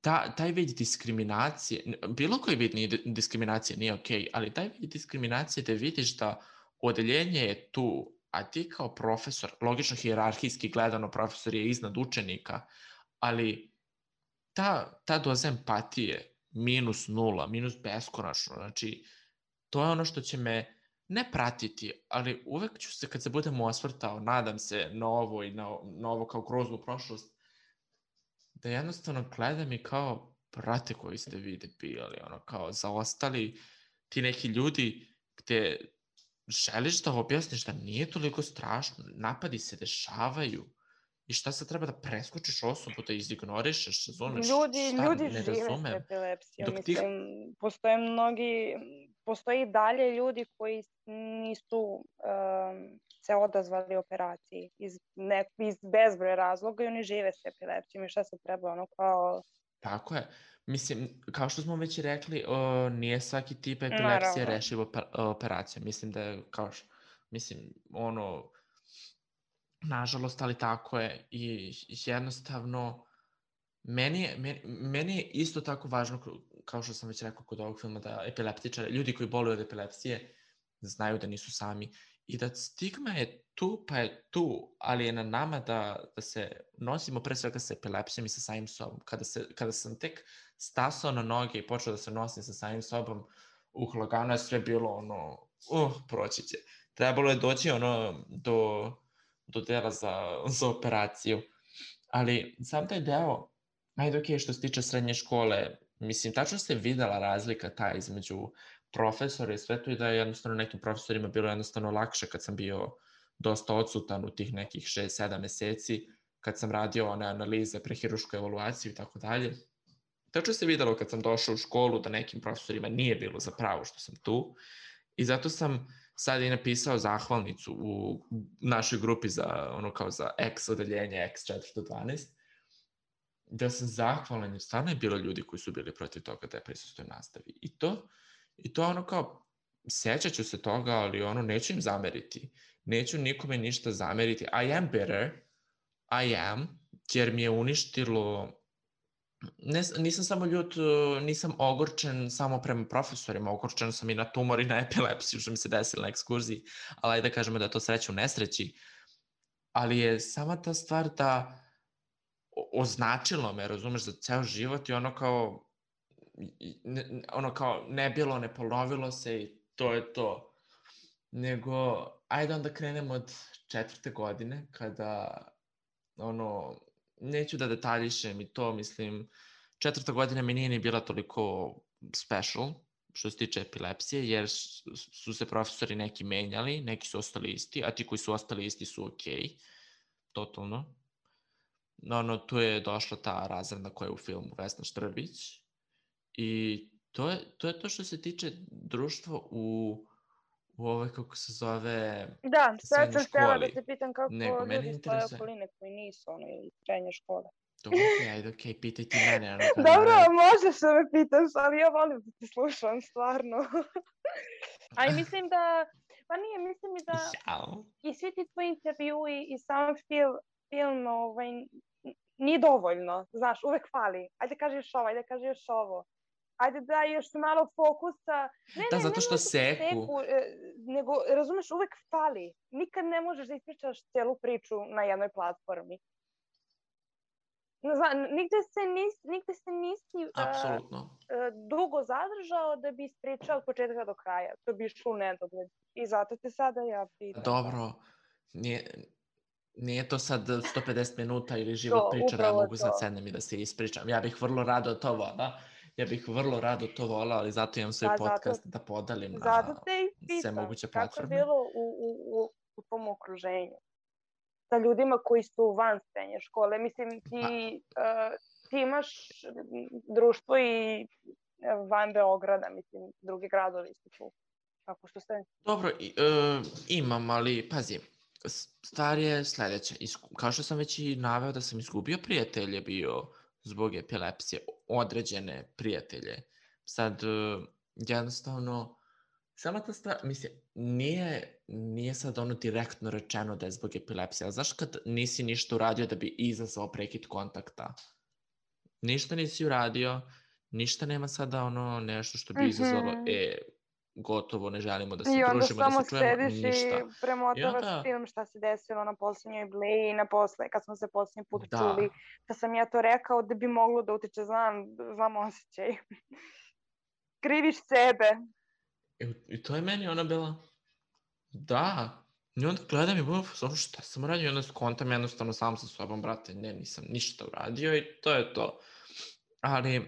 Ta, taj vid diskriminacije, bilo koji vid diskriminacije nije okej, okay, ali taj vid diskriminacije da vidiš da odeljenje je tu a ti kao profesor, logično hijerarhijski gledano profesor je iznad učenika, ali ta, ta doza empatije minus nula, minus beskonačno, znači to je ono što će me ne pratiti, ali uvek ću se, kad se budem osvrtao, nadam se na ovo i na, na ovo kao groznu prošlost, da jednostavno gledam i kao, brate koji ste vi debili, ono, kao zaostali ti neki ljudi gde želiš da objasniš da nije toliko strašno, napadi se dešavaju i šta sad treba da preskočiš osobu, da izignorišeš, razumeš, Ljudi, šta ljudi ne žive s razumem. epilepsijom, Dok ti... mislim, postoje mnogi, postoji i dalje ljudi koji nisu um, se odazvali operaciji iz, ne, iz bezbroj razloga i oni žive s epilepsijom i šta se treba, ono kao... Tako je. Mislim, kao što smo već rekli, o, nije svaki tip epilepsije Naravno. rešiv operacijom. Mislim da je, kao što, mislim, ono, nažalost, ali tako je. I jednostavno, meni je, meni, meni je isto tako važno, kao što sam već rekao kod ovog filma, da epileptičari, ljudi koji boluju od epilepsije, znaju da nisu sami. I da stigma je tu, pa je tu, ali je na nama da, da se nosimo pre svega sa epilepsijom i sa samim sobom. Kada, se, kada sam tek stasao na noge i počeo da se nosim sa samim sobom, uh, lagano je sve bilo ono, uh, proći će. Trebalo je doći ono do, do dela za, za operaciju. Ali sam taj deo, ajde ok, što se tiče srednje škole, mislim, tačno se videla razlika ta između profesora i sve to i da je jednostavno nekim profesorima bilo jednostavno lakše kad sam bio dosta odsutan u tih nekih šest sedam meseci, kad sam radio one analize, prehirušku evaluaciju i tako dalje. Tačno se videlo kad sam došao u školu da nekim profesorima nije bilo za pravo što sam tu i zato sam sad i napisao zahvalnicu u našoj grupi za ono kao za X odeljenje X četiri do dvanaest, da sam zahvalan jer stvarno je bilo ljudi koji su bili protiv toga da je prisustujem nastavi. I to, i to ono kao, sećat ću se toga, ali ono, neću im zameriti. Neću nikome ništa zameriti. I am bitter, I am, jer mi je uništilo, ne, nisam samo ljut, nisam ogorčen samo prema profesorima, ogorčen sam i na tumor i na epilepsiju, što mi se desilo na ekskurziji, ali ajde da kažemo da je to sreća u nesreći. Ali je sama ta stvar da označilo me, razumeš, za ceo život i ono kao, ne, ono kao ne bilo, ne ponovilo se i to je to. Nego, ajde onda krenemo od četvrte godine, kada, ono, neću da detaljišem i to, mislim, četvrta godina mi nije ni bila toliko special, što se tiče epilepsije, jer su se profesori neki menjali, neki su ostali isti, a ti koji su ostali isti su okej, okay, totalno. No, no, tu je došla ta razredna koja je u filmu Vesna Štrbić i to je, to je to što se tiče društva u, u ovoj, kako se zove, da, sad sam htjela da te pitam kako nego, ljudi iz tvoje okoline koji nisu ono iz srednje škole. Dobro, okej, ajde, okej, pitaj ti mene. Ono, Dobro, možeš da me pitaš, ali ja volim da te slušam, stvarno. A i mislim da, pa nije, mislim i da Jao. i svi ti tvoji intervjui i sam film, film ovaj, nije dovoljno, znaš, uvek fali. Ajde kaži još ovo, ajde kaži još ovo. Ajde da još malo fokusa. Ne, da, ne, zato ne što seku. seku. Nego, razumeš, uvek fali. Nikad ne možeš da ispričaš celu priču na jednoj platformi. Zna, nigde se nisi, nigde se nisi Apsolutno. Uh, dugo zadržao da bi ispričao od početka do kraja. To bi išlo u nedogled. I zato te sada ja pitam. Dobro, nije, nije to sad sto pedeset minuta ili život priča da ja mogu sad sednem i da se ispričam. Ja bih vrlo rado to vola. Ja bih vrlo rado to volao, ali zato imam svoj da, podcast zato, da podalim na sve moguće platforme. Kako je bilo u, u, u, u tom okruženju? Sa ljudima koji su van srednje škole. Mislim, ti, pa. uh, ti imaš društvo i van Beograda, mislim, drugi gradovi su tu. Kako što ste? Dobro, i, uh, imam, ali pazi, stvar je sledeća. Isku, kao što sam već i naveo da sam izgubio prijatelje bio zbog epilepsije, određene prijatelje. Sad, uh, jednostavno, sama ta stvar, mislim, nije, nije sad ono direktno rečeno da je zbog epilepsije, ali znaš kad nisi ništa uradio da bi izazvao prekid kontakta? Ništa nisi uradio, ništa nema sada ono nešto što bi izazvalo, mm-hmm. e, gotovo ne želimo da se I onda družimo, da samo se čujemo, sediš i ništa. I premotavaš onda, film šta se desilo na posljednjoj bleji, na posle, kad smo se posljednji put da, čuli, da sam ja to rekao da bi moglo da utiče, znam, znam osjećaj. Kriviš sebe. i, i to je meni ona bila, da, i onda gledam i budem, ono šta sam uradio, i onda skontam jednostavno sam sa sobom, brate, ne, nisam ništa uradio i to je to. Ali, e,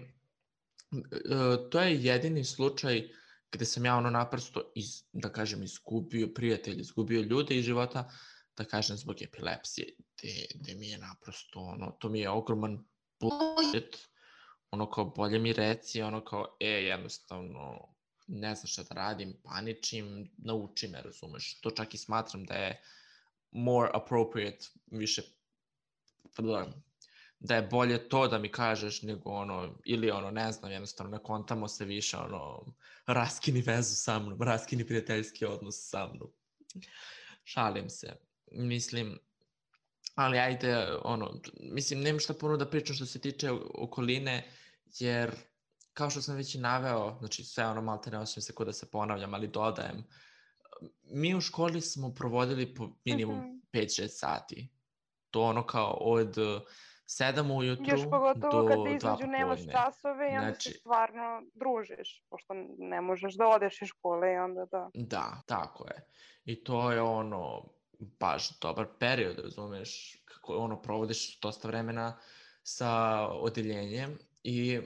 to je jedini slučaj gde sam ja ono naprosto, iz, da kažem, izgubio prijatelj, izgubio ljude iz života, da kažem, zbog epilepsije, gde, gde mi je naprosto, ono, to mi je ogroman bullshit, ono kao, bolje mi reci, ono kao, e, jednostavno, ne znam šta da radim, paničim, nauči me, razumeš, to čak i smatram da je more appropriate, više, da je bolje to da mi kažeš nego ono, ili ono, ne znam, jednostavno ne kontamo se više, ono, raskini vezu sa mnom, raskini prijateljski odnos sa mnom. Šalim se, mislim, ali ajde, ono, mislim, nemam šta puno da pričam što se tiče okoline, jer, kao što sam već i naveo, znači sve ono malte ne osim se ko da se ponavljam, ali dodajem, mi u školi smo provodili po minimum Mhm. pet šest sati. To ono kao od sedam ujutru Još pogotovo do kad dva između nemaš popodne. časove i onda se Znači, stvarno družiš, pošto ne možeš da odeš iz škole i onda da. da, tako je. I to je ono, baš dobar period, razumeš, kako ono, provodiš dosta vremena sa odeljenjem i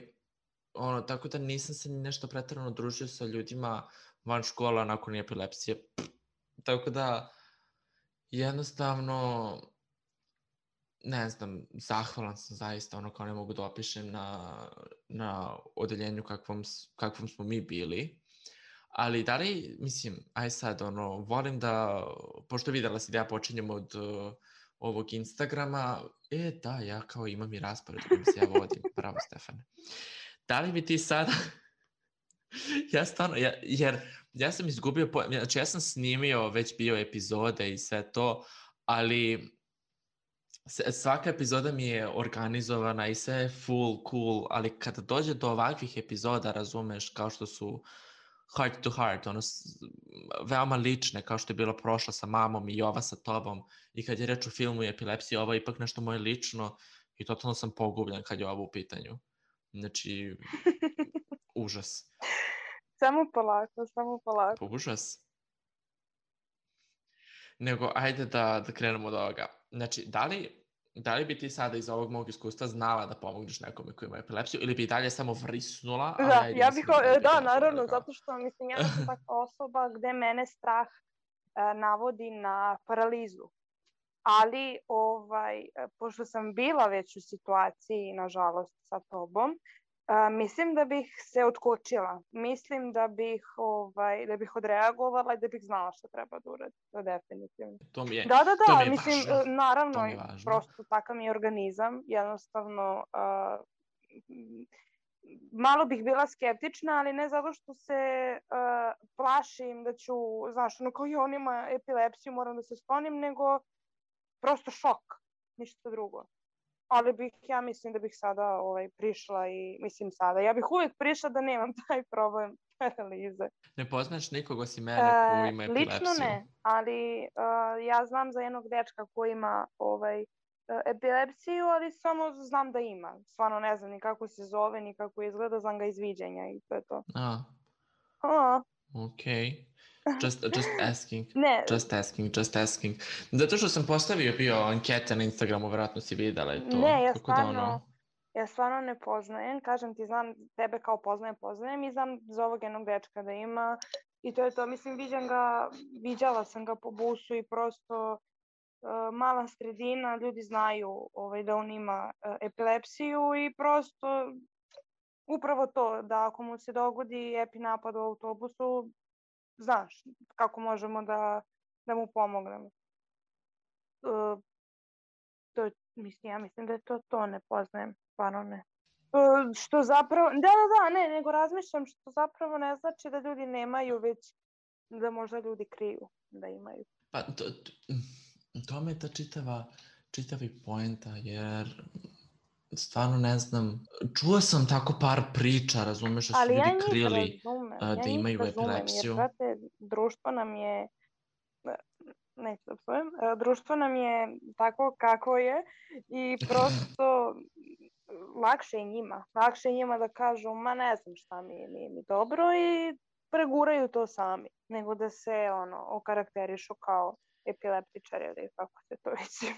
ono, tako da nisam se ni nešto preterano družio sa ljudima van škola nakon epilepsije. Tako da, jednostavno, ne znam, zahvalan sam zaista, ono kao ne mogu da opišem na, na odeljenju kakvom, kakvom smo mi bili. Ali da li, mislim, aj sad, ono, volim da, pošto videla si da ja počinjem od uh, ovog Instagrama, e, da, ja kao imam i raspored kojim se ja vodim, bravo Stefane. Da li bi ti sada, ja stvarno, ja, jer ja sam izgubio, po... znači ja sam snimio već bio epizode i sve to, ali svaka epizoda mi je organizovana i sve je full cool, ali kada dođe do ovakvih epizoda, razumeš, kao što su heart to heart, ono, veoma lične, kao što je bilo prošla sa mamom i ova sa tobom, i kad je reč o filmu i epilepsiji, ovo je ipak nešto moje lično i totalno sam pogubljen kad je ovo u pitanju. Znači, užas. Samo polako, samo polako. Užas. Nego, ajde da, da krenemo od ovoga. Znači, da li, da li bi ti sada iz ovog mog iskustva znala da pomogneš nekome koji ima epilepsiju ili bi i dalje samo vrisnula? Ali Da, ajde, ja mislim bih, da, da, da naravno, kao... zato što, mislim, ja sam takva osoba gde mene strah uh, navodi na paralizu. Ali, ovaj, pošto sam bila već u situaciji, nažalost, sa tobom, uh, mislim da bih se otkočila. Mislim da bih, ovaj, da bih odreagovala i da bih znala šta treba da uradim. To definitivno. To mi je, da, da, to mi da, je mislim, važno. naravno, To mi je važno. prosto takav mi je organizam. Jednostavno, uh, malo bih bila skeptična, ali ne zato što se uh, plašim da ću, znaš, ono kao i on ima epilepsiju, moram da se sklonim, nego prosto šok, ništa drugo. Ali bih, ja mislim da bih sada ovaj, prišla i, mislim sada, ja bih uvijek prišla da nemam taj problem paralize. Ne poznaš nikog osim mene ko ima uh, epilepsiju? Lično ne, ali uh, ja znam za jednog dečka koji ima ovaj, epilepsiju, ali samo znam da ima. Stvarno ne znam ni kako se zove, ni kako izgleda, znam ga iz viđenja i to je to. A, A. okej. Just, just asking. Ne. Just asking, just asking. Zato što sam postavio bio ankete na Instagramu, vjerojatno si videla i to. Ne, ja Tako stvarno, da ono... ja stvarno ne poznajem. Kažem ti, znam tebe kao poznajem, poznajem i znam za ovog jednog dečka da ima i to je to. Mislim, viđam ga, viđala sam ga po busu i prosto uh, mala sredina, ljudi znaju ovaj, da on ima uh, epilepsiju i prosto upravo to, da ako mu se dogodi epi napad u autobusu, znaš kako možemo da, da mu pomognemo. Uh, to, mislim, ja mislim da je to to, ne poznajem, stvarno ne. Uh, što zapravo, da, da, da, ne, nego razmišljam što zapravo ne znači da ljudi nemaju, već da možda ljudi kriju da imaju. Pa, to, to, to me je ta čitava, čitavi poenta, jer stvarno ne znam, čuo sam tako par priča, razumeš, da su ali ljudi ja krili, uh, ja da njih imaju razumem, jer, epilepsiju. brate, društvo nam je, neću da psujem, e, društvo nam je tako kako je i prosto lakše je njima. Lakše je njima da kažu, ma ne znam šta mi je, nije mi dobro i preguraju to sami, nego da se ono, okarakterišu kao epileptičar ili kako se to već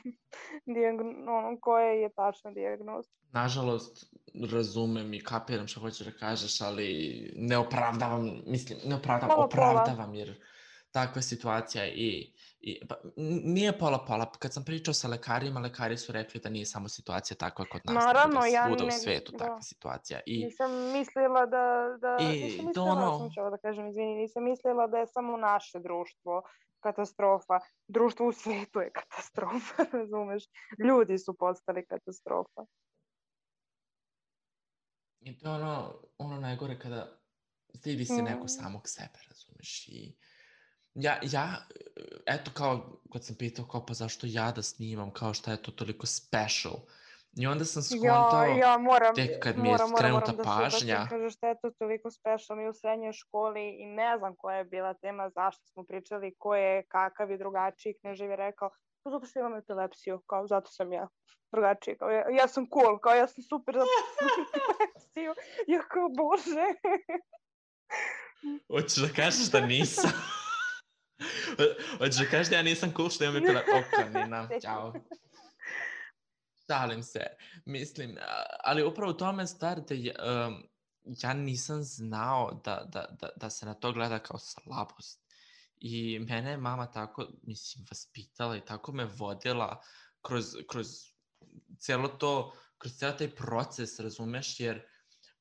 dijagno, ono, koje je tačna dijagnoza. Nažalost, razumem i kapiram što hoćeš da kažeš, ali ne opravdavam, mislim, ne opravdavam, Pola pola. opravdavam jer takva je situacija i, i pa, n- nije pola pola. Kad sam pričao sa lekarima, lekari su rekli da nije samo situacija takva kod nas, nego da Naravno, je ja svuda u ne, svetu da, takva situacija. I, nisam mislila da, da nisam i to mislila, ono, sam ću ovo da kažem, izvini, nisam mislila da je samo naše društvo katastrofa. Društvo u svetu je katastrofa, razumeš? Ljudi su postali katastrofa. i to je ono, ono najgore kada stidi se neko Mm. samog sebe, razumeš? I ja, ja, eto kao, kad sam pitao kao pa zašto ja da snimam, kao šta je to toliko special. I onda sam Ja, skontao ja moram, tek kad mi je moram, moram, skrenuta moram da se da ti pažnja. kažeš da je to toliko special mi u srednjoj školi i ne znam koja je bila tema, zašto smo pričali, ko je kakav i drugačiji, Knežev je rekao, pa zato što imam epilepsiju, kao zato sam ja drugačiji, kao ja, ja sam cool, kao ja sam super zato što imam epilepsiju, ja kao bože. Hoćeš da kažeš da nisam? Hoćeš da kažeš da ja nisam cool što imam epilepsiju? Ok, Nina, ćao. Šalim se. Mislim, a- ali upravo u tome stvar da je, um, ja nisam znao da, da, da, da se na to gleda kao slabost. I mene je mama tako, mislim, vaspitala i tako me vodila kroz, kroz cijelo to, kroz cijel taj proces, razumeš, jer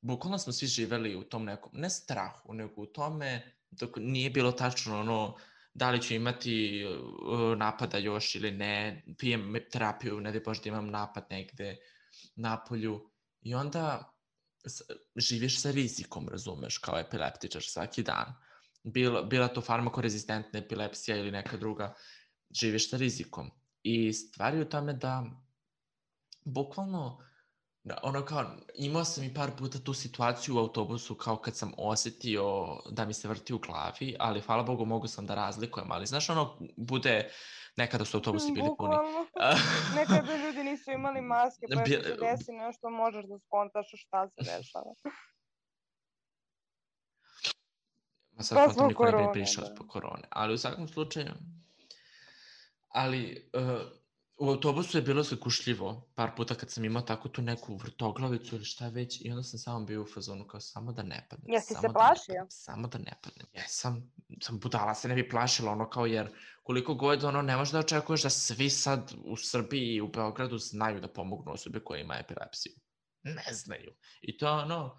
bukvalno smo svi živeli u tom nekom, ne strahu, nego u tome dok nije bilo tačno ono da li ću imati uh, napada još ili ne, pijem terapiju, ne daj Bože da imam napad negde napolju i onda s- živiš sa rizikom, razumeš, kao epileptičar svaki dan. Bila, bila to farmakorezistentna epilepsija ili neka druga, živiš sa rizikom. I stvar je u tome da bukvalno da, ono kao, imao sam i par puta tu situaciju u autobusu kao kad sam osetio da mi se vrti u glavi, ali hvala Bogu mogu sam da razlikujem, ali znaš ono, bude, nekada su autobusi bili puni. Bukvalno. Nekada ljudi nisu imali maske, pa Bi- ako se desi nešto, možeš da skontaš šta se dešava. Ma sad Pa kontam zbog niko ne bi korone, prišao da. zbog korone, ali u svakom slučaju, ali uh, u autobusu je bilo zakušljivo par puta kad sam imao tako tu neku vrtoglavicu ili šta već i onda sam samo bio u fazonu kao samo da ne padnem, Jesi se samo da ne plašio? padnem, samo da ne padnem. Jesam, sam budala se ne bi plašila ono kao jer koliko god ono ne možeš da očekuješ da svi sad u Srbiji i u Beogradu znaju da pomognu osobe koja ima epilepsiju. Ne znaju. I to je ono,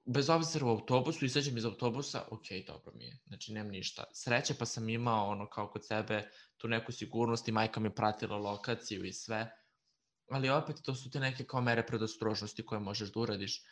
bez obzira u autobusu, izađem iz autobusa, ok, dobro mi je, znači nemam ništa. Sreće pa sam imao ono kao kod sebe tu neku sigurnost i majka mi pratila lokaciju i sve, ali opet to su te neke kao mere predostrožnosti koje možeš da uradiš.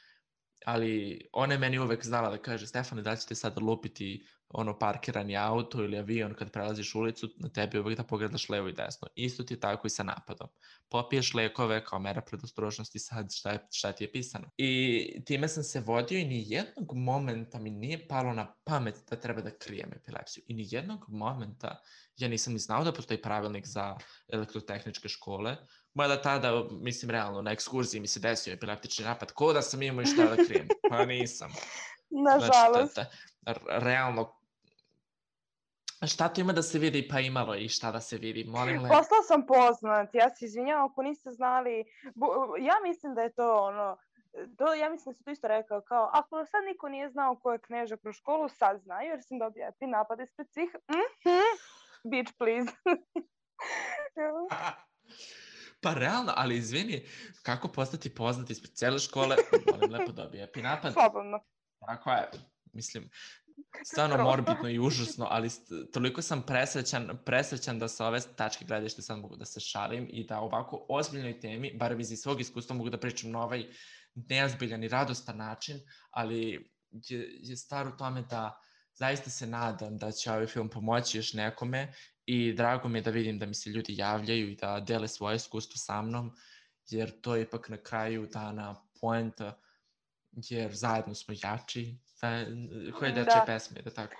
Ali ona je meni uvek znala da kaže, Stefane, da ćete sada lupiti ono parkirani auto ili avion kad prelaziš ulicu, na tebi uvek da pogledaš levo i desno. Isto ti je tako i sa napadom. Popiješ lekove kao mera predostrožnosti, sad šta, je, šta ti je pisano. I time sam se vodio i ni jednog momenta mi nije palo na pamet da treba da krijem epilepsiju. I ni jednog momenta ja nisam ni znao da postoji pravilnik za elektrotehničke škole, mada tada, mislim, realno, na ekskurziji mi se desio epileptični napad, ko da sam imao i šta da krijem. Pa nisam. Nažalost. Znači, ta, ta, realno, šta to ima da se vidi? Pa imalo i šta da se vidi, molim lepo. Postao sam poznat, ja se izvinjavam ako niste znali. Bu- ja mislim da je to ono, to, ja mislim da se to isto rekao, kao, ako sad niko nije znao ko je Kneža kroz školu, sad znaju, jer sam dobio epi napad ispred svih. Mm-hmm. Bitch, please. Pa realno, ali izvini, kako postati poznat ispred cele škole, molim lepo dobije epi napad. Slobodno. Tako je, mislim, stvarno morbidno i užasno, ali st- toliko sam presrećan, presrećan da sa ove tačke gledište sad mogu da se šalim i da ovako ozbiljnoj temi, bar iz svog iskustva mogu da pričam na ovaj neozbiljan i radostan način, ali je, je stvar u tome da zaista se nadam da će ovaj film pomoći još nekome i drago mi je da vidim da mi se ljudi javljaju i da dele svoje iskustvo sa mnom, jer to je ipak na kraju dana poenta, jer zajedno smo jači, koje dečje pesme, da tako?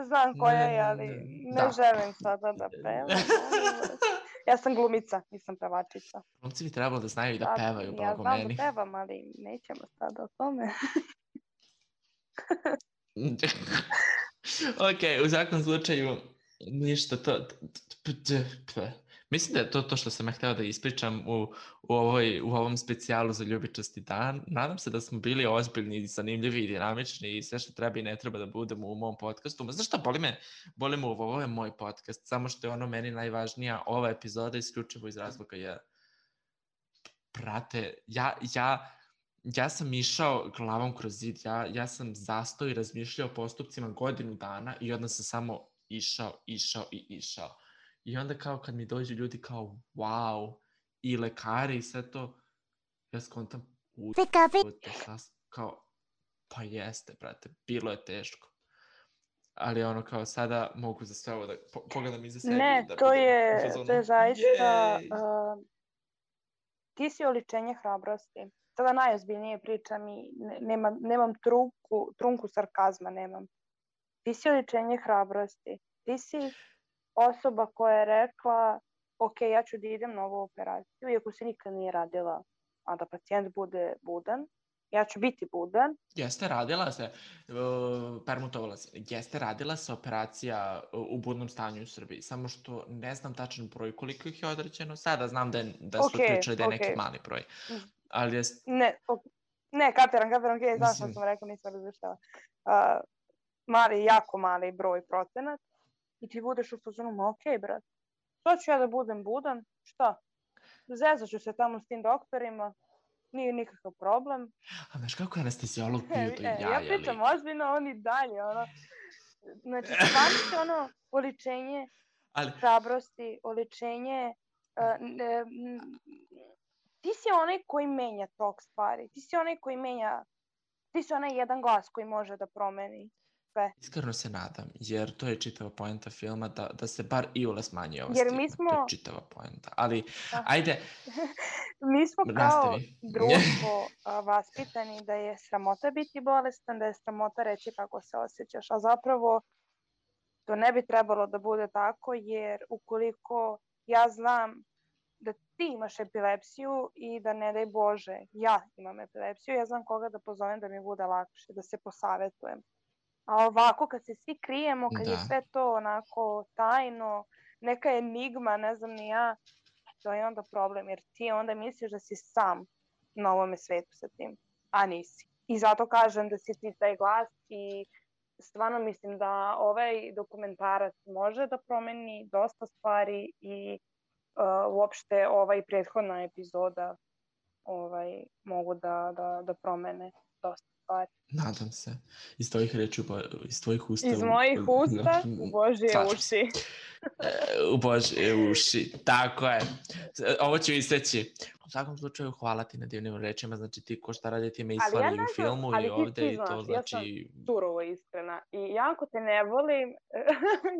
Znam koja je, ali ne želim sada da pevam. Ja sam glumica, nisam pevačica. Glumci bi trebalo da znaju i da pevaju, blago meni. Ja meni. znam da pevam, ali nećemo sada o tome. Ok, u svakom slučaju, ništa, to... Mislim da je to to što sam ja hteo da ispričam u, u, ovoj, u ovom specijalu za ljubičasti dan. Nadam se da smo bili ozbiljni, zanimljivi i dinamični i sve što treba i ne treba da budemo u mom podcastu. Ma znaš šta, boli me, boli me ovo, ovo je moj podcast, samo što je ono meni najvažnija ova epizoda isključivo iz razloga jer, brate, ja, ja, ja sam išao glavom kroz zid, ja, ja sam zastao i razmišljao o postupcima godinu dana i onda sam samo išao, išao i išao. I onda kao kad mi dođu ljudi kao wow, i lekari i sve to, ja skontam ujebote, kao, pa jeste, brate, bilo je teško. Ali ono kao sada mogu za sve ovo da po, pogledam iza sebi. Ne, da to, je, fazonu, to je zaista, uh, ti si oličenje hrabrosti. Sada najozbiljnije pričam i ne, nemam, nemam trunku, trunku sarkazma, nemam. Ti si oličenje hrabrosti. Ti si osoba koja je rekla, ok, ja ću da idem na ovu operaciju, iako se nikad nije radila, a da pacijent bude budan, ja ću biti budan. Jeste radila se, uh, permutovala se, jeste radila se operacija u budnom stanju u Srbiji, samo što ne znam tačan broj koliko ih je određeno, sada znam da, je, da su okay, pričali da je okay. neki mali broj. Ali jest... Ne, okay. ne, kapiram, kapiram, okay, znaš što sam rekao, nisam razlištava. Uh, mali, jako mali broj procenat. I ti budeš u fazonu, ma okej, brat, što ću ja da budem budan? Šta? Zezat ću se tamo s tim doktorima, nije nikakav problem. A znaš kako je anestezijolog bio do jaja? Ja pričam ozbiljno, oni dalje, ono. Znači, stvarno ono, oličenje ali... hrabrosti, oličenje... Uh, ne, ti si onaj koji menja tok stvari, ti si onaj koji menja, ti si onaj jedan glas koji može da promeni. Sve. Iskreno se nadam, jer to je čitava poenta filma, da, da se bar iole smanji ova jer stigma. Mi smo... To je čitava poenta, ali ah. ajde. Mi smo kao nastavi. Društvo vaspitani da je sramota biti bolestan, da je sramota reći kako se osjećaš, a zapravo to ne bi trebalo da bude tako, jer ukoliko ja znam da ti imaš epilepsiju i da ne daj Bože, ja imam epilepsiju, ja znam koga da pozovem da mi bude lakše, da se posavetujem. A ovako kad se svi krijemo, kad da. je sve to onako tajno, neka enigma, ne znam ni ja, to je onda problem, jer ti onda misliš da si sam na ovome svetu sa tim, a nisi. I zato kažem da si ti taj glas i stvarno mislim da ovaj dokumentarac može da promeni dosta stvari i uh, uopšte ovaj prethodna epizoda ovaj, mogu da, da, da promene dosta stvari. Nadam se. Iz tvojih reči, iz tvojih usta. Iz mojih u, usta u Božje uši. U Božje uši, tako je. Ovo ću isteći. U svakom slučaju, hvala ti na divnim rečima, znači ti ko šta radi ti me islali ja u filmu i ovde i to znači... Ali ja sam surovo iskrena i jako te ne volim.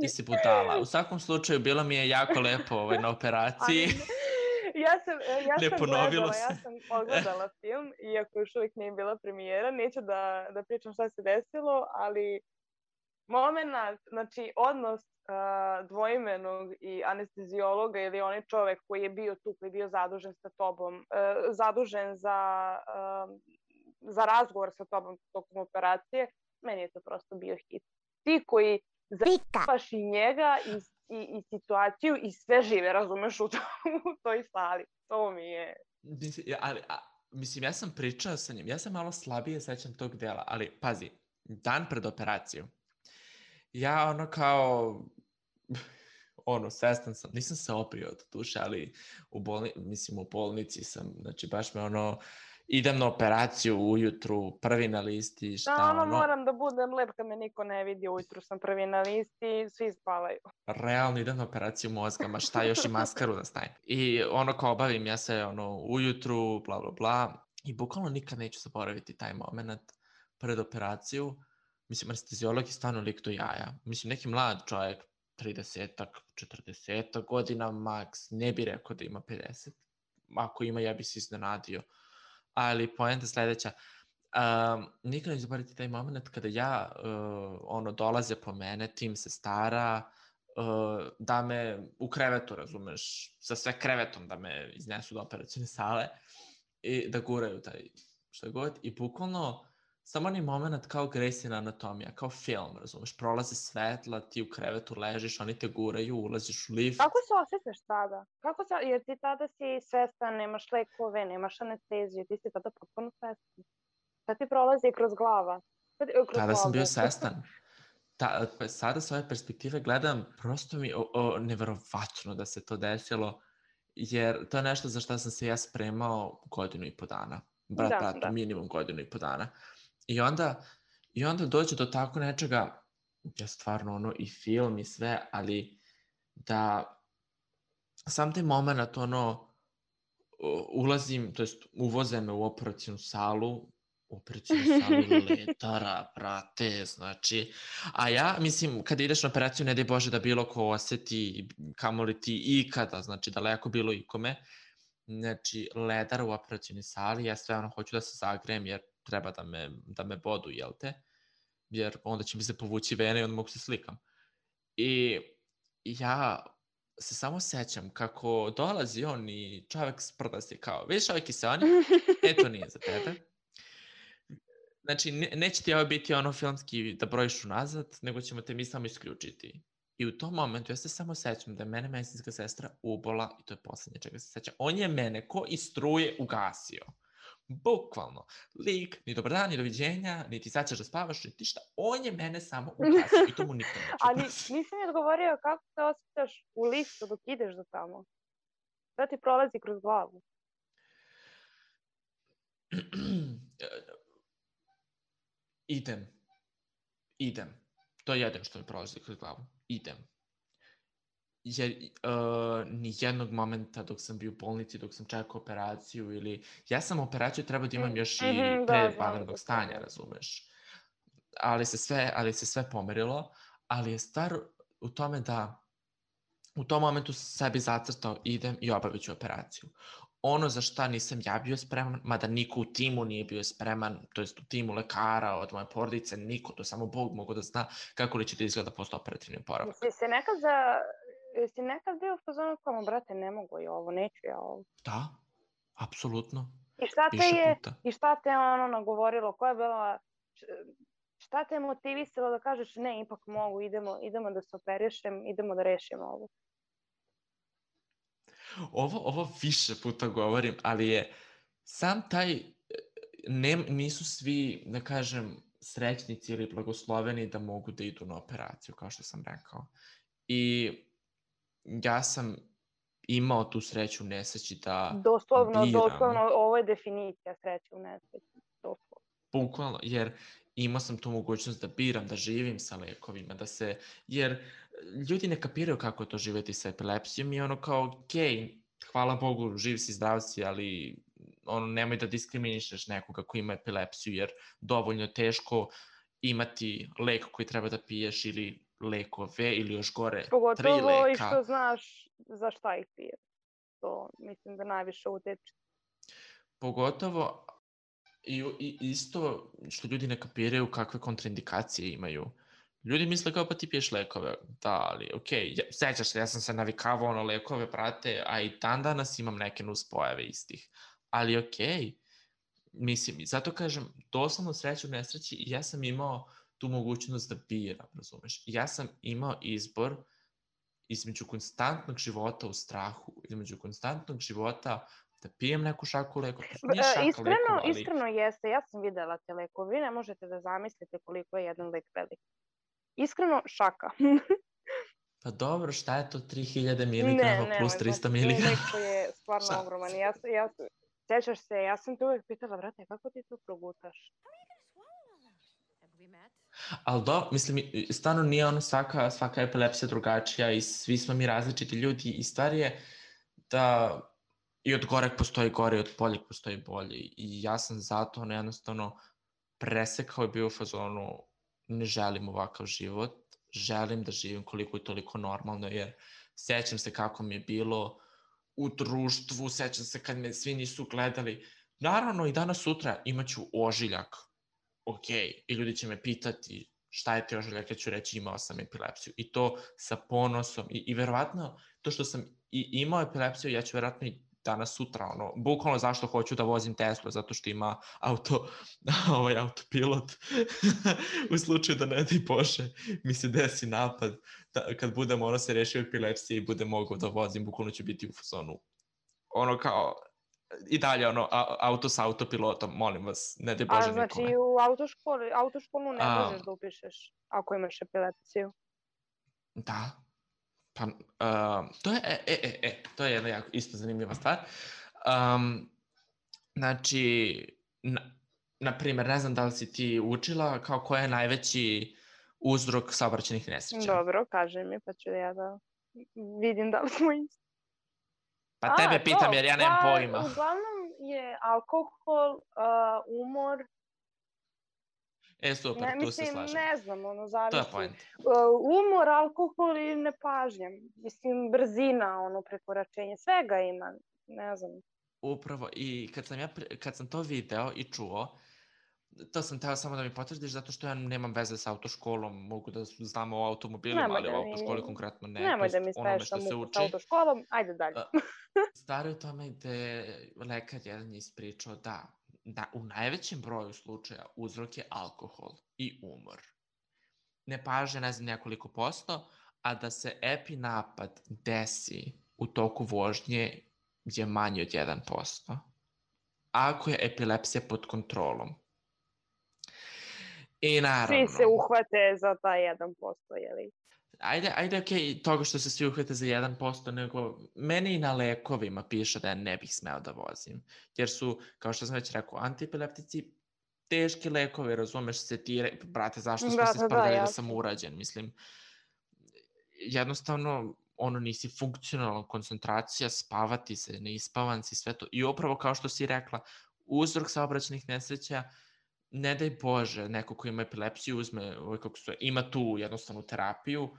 Ti si budala. U svakom slučaju, bilo mi je jako lepo ovaj, na operaciji. Ja sam, ja sam gledala, se. ja sam pogledala film, iako još uvijek nije bila premijera, neću da, da pričam šta se desilo, ali moment, znači odnos uh, dvoimenog i anestezijologa ili onaj čovek koji je bio tu, koji je bio zadužen sa tobom, uh, zadužen za, uh, za razgovor sa tobom tokom operacije, meni je to prosto bio hit. Ti koji zapaš i njega i I, i situaciju i sve žive, razumeš, u, to, u toj sali. To mi je... Mislim, ali, a, mislim, ja sam pričao sa njim, ja sam malo slabije sećam tog dela, ali pazi, dan pred operaciju, ja ono kao, ono, svestan sam, nisam se oprio od duše, ali u bolni, mislim, u bolnici sam, znači baš me ono, idem na operaciju ujutru, prvi na listi, šta da, ono... ono... moram da budem lep kad me niko ne vidi, ujutru sam prvi na listi, svi spavaju. Realno idem na operaciju mozga, ma šta još i maskaru da stavim. I ono kao obavim ja se ono ujutru, bla bla bla, i bukvalno nikad neću zaboraviti taj moment pred operaciju. Mislim, anestezijolog je stvarno lik do jaja. Mislim, neki mlad čovjek, tridesetak, četrdesetak godina maks, ne bi rekao da ima pedeset. Ako ima, ja bi se iznenadio. Ali poenta sledeća, Um, nikad neću zaboraviti taj moment kada ja, uh, ono, dolaze po mene, tim se stara, uh, da me u krevetu, razumeš, sa sve krevetom da me iznesu do operacione sale i da guraju taj šta god. I bukvalno, samo onaj moment kao Grey'sina anatomija, kao film, razumeš, prolaze svetla, ti u krevetu ležiš, oni te guraju, ulaziš u lift. Kako se osjećaš tada? Kako se, jer ti tada si svestan, nemaš lekove, nemaš anesteziju, ti si tada potpuno svestan. Šta ti prolazi kroz glava? Kroz Tada glavu. sam bio svestan. Ta, pa sada s ove perspektive gledam, prosto mi o, o, neverovatno da se to desilo, jer to je nešto za što sam se ja spremao godinu i po dana. Brat, Da, bratu, da. minimum godinu i po dana. I onda, i onda dođe do tako nečega, ja stvarno ono i film i sve, ali da sam taj moment ono, u- ulazim, to jest uvoze me u operacijnu salu, operacijnu salu letara, brate, znači, a ja, mislim, kada ideš na operaciju, ne daj Bože da bilo ko oseti, kamoli ti ikada, znači, daleko bilo ikome, znači, ledar u operacijnoj sali, ja sve ono hoću da se zagrejem, jer treba da me, da me bodu, jel te, jer onda će mi se povući vene i onda mogu se slikam. I ja se samo sećam kako dolazi on i čovek sprda se kao, vidiš ovaj kiseonik? E, to nije za tebe. Znači, ne, neće ti ovo biti ono filmski da brojiš unazad, nego ćemo te mi samo isključiti. I u tom momentu ja se samo sećam da je mene medicinska sestra ubola, i to je poslednje čega se sećam. On je mene ko iz struje ugasio. Bukvalno. Lik, ni dobar dan, ni doviđenja, niti sad ćeš da spavaš, niti šta. On je mene samo ugasio i to mu nikad neću Ali oprostiti. nisi mi odgovorio kako se osjećaš u liftu dok ideš do tamo. Šta ti prolazi kroz glavu? Idem. Idem. To je jedino što mi prolazi kroz glavu. Idem. Jer uh, ni jednog momenta dok sam bio u bolnici, dok sam čekao operaciju ili... Ja sam operaciju trebao da imam još i Mhm, da, pre znam vanrednog za stanja, to. razumeš. Ali se sve, ali se sve pomerilo, ali je stvar u tome da u tom momentu sam sebi zacrtao idem i obavit ću operaciju. Ono za šta nisam ja bio spreman, mada niko u timu nije bio spreman, to jest u timu lekara, od moje porodice, niko, to samo Bog mogu da zna kako li će da izgleda postoperativni oporavak. Jesi se nekad za... Jesi nekad bio u fazonu kao, brate, ne mogu ja ovo, neću ja ovo. Da, apsolutno. I šta te Više je, puta. i šta te ono nagovorilo, koja je bila, šta te je motivisalo da kažeš ne, ipak mogu, idemo, idemo da se operišem, idemo da rešimo ovo. Ovo, ovo više puta govorim, ali je sam taj, ne, nisu svi, da kažem, srećnici ili blagosloveni da mogu da idu na operaciju, kao što sam rekao. I ja sam imao tu sreću u nesreći da Doslovno, biram. doslovno, ovo je definicija sreće u nesreći. Doslovno. Bukvalno, jer imao sam tu mogućnost da biram, da živim sa lekovima, da se, jer ljudi ne kapiraju kako je to živeti sa epilepsijom i ono kao, okej, hvala Bogu, živ si, zdrav si, ali ono, nemoj da diskriminišeš nekoga ko ima epilepsiju, jer dovoljno je teško imati lek koji treba da piješ ili lekove ili još gore, tri Pogotovo leka. i što znaš za šta ih pije. To mislim da najviše uteče. Pogotovo i, i isto što ljudi ne kapiraju kakve kontraindikacije imaju. Ljudi misle kao pa ti piješ lekove. Da, ali okej, okay. ja, sećaš se, ja sam se navikavao na lekove, brate, a i dan danas imam neke nuspojave istih. Ali okej, okay. Mislim, zato kažem, doslovno sreću u nesreći, ja sam imao tu mogućnost da biram, razumeš? Ja sam imao izbor između konstantnog života u strahu, između konstantnog života da pijem neku šaku lekova. Nije šaka iskreno, lekova, ali... Iskreno jeste, ja sam videla te lekove, vi ne možete da zamislite koliko je jedan lek velik. Iskreno, šaka. Pa dobro, šta je to tri hiljade miligrama ne, plus ne, trista znači, miligrama? lek koji je stvarno ogroman. Ja, ja, sećaš se, ja sam te uvek pitala, brate, kako ti to progutaš? Ali do, mislim, stvarno nije ono svaka, svaka epilepsija drugačija i svi smo mi različiti ljudi i stvar je da i od goreg postoji gore i od boljeg postoji bolje i ja sam zato ono jednostavno presekao i bio u fazonu ne želim ovakav život, želim da živim koliko je toliko normalno jer sećam se kako mi je bilo u društvu, sećam se kad me svi nisu gledali naravno i danas sutra imaću ožiljak, ok, i ljudi će me pitati šta je ti ožiljak, ja ću reći imao sam epilepsiju i to sa ponosom i, i verovatno to što sam i imao epilepsiju, ja ću verovatno i danas sutra, ono, bukvalno zašto hoću da vozim Teslu, zato što ima auto, ovaj autopilot, u slučaju da ne daj Bože mi se desi napad, da, kad budem ono se rešio epilepsije i budem mogao da vozim, bukvalno ću biti u fazonu, ono kao, i dalje ono, a, auto sa autopilotom, molim vas, ne daj Bože A znači nikome. u autoškoli, autoškolu ne A, možeš da upišeš ako imaš epilepsiju. Da. Pa, uh, to je, e, e, e, e, to je jedna jako isto zanimljiva stvar. Um, znači, na, na primjer, ne znam da li si ti učila kao koja je najveći uzrok saobraćajnih nesreća. Dobro, kaži mi, pa ću ja da vidim da li smo isti. Pa A, tebe pitam to, jer ja nemam pa, pojma. Uglavnom je alkohol, uh, umor. E, super, Ne, tu se mislim, slažem. ne znam, ono, To je zavisi. point. Uh, umor, alkohol i nepažnja. Mislim, brzina, ono, prekoračenje, svega ima, ne znam. Upravo, i kad sam, ja, kad sam to video i čuo, to sam teo samo da mi potvrdiš, zato što ja nemam veze sa autoškolom, mogu da znam o automobilima, Nemoj ali da o mi- autoškoli konkretno ne. Nemoj da mi tj. onome spaješ što sa se muku uči. sa autoškolom, ajde dalje. A, Stvar je u tome gde lekar jedan je ispričao da, da u najvećem broju slučaja uzrok je alkohol i umor. Nepažnja, ne znam nekoliko posto, a da se epi napad desi u toku vožnje je manji od jedan posto. Ako je epilepsija pod kontrolom. I naravno... Svi se uhvate za taj jedan posto, jeli? Ajde, ajde, okej, okay, toga što se svi uhvate za jedan posto, nego meni i na lekovima piše da ja ne bih smeo da vozim. Jer su, kao što sam već rekao, antiepileptici teški lekovi, razumeš se ti, re... brate, zašto smo Da, se da, da, sprdali da jasno. sam urađen, mislim. Jednostavno, ono, nisi funkcionalna koncentracija, spavati se, neispavan si, sve to. I upravo kao što si rekla, uzrok saobraćajnih nesreća, ne daj Bože, neko ko ima epilepsiju uzme, ovaj, kako se, ima tu jednostavnu terapiju,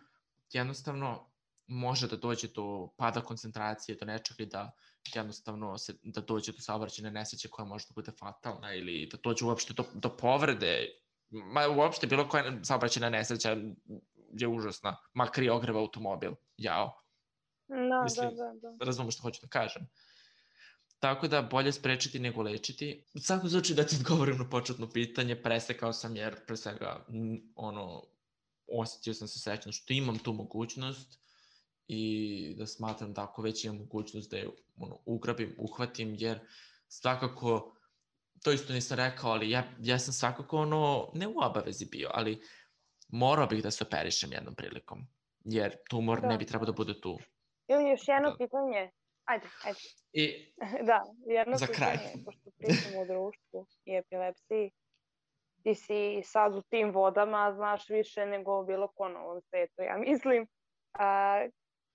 jednostavno može da dođe do pada koncentracije, do nečega i da jednostavno se, da dođe do saobraćajne nesreće koja može da bude fatalna ili da dođe uopšte do, do povrede. Ma uopšte bilo koja saobraćajna nesreća je užasna, makar i ogreva automobil. Jao. Da, Mislim, da, da, da. razumem što hoću da kažem. Tako da bolje sprečiti nego lečiti. U svakom slučaju da ti odgovorim na početno pitanje, presekao sam jer pre svega ono, osjetio sam se srećno što imam tu mogućnost i da smatram da ako već imam mogućnost da je ono, ugrabim, uhvatim, jer svakako, to isto nisam rekao, ali ja, ja sam svakako ono, ne u obavezi bio, ali morao bih da se operišem jednom prilikom, jer tumor Da. ne bi trebao da bude tu. Ili još jedno Da. pitanje. Ajde, ajde. I Da, jedno Za pitanje, kraj. pošto pričamo o društvu i epilepsiji. Ti si sad u tim vodama, znaš više nego bilo ko na ovom svetu, ja mislim. A,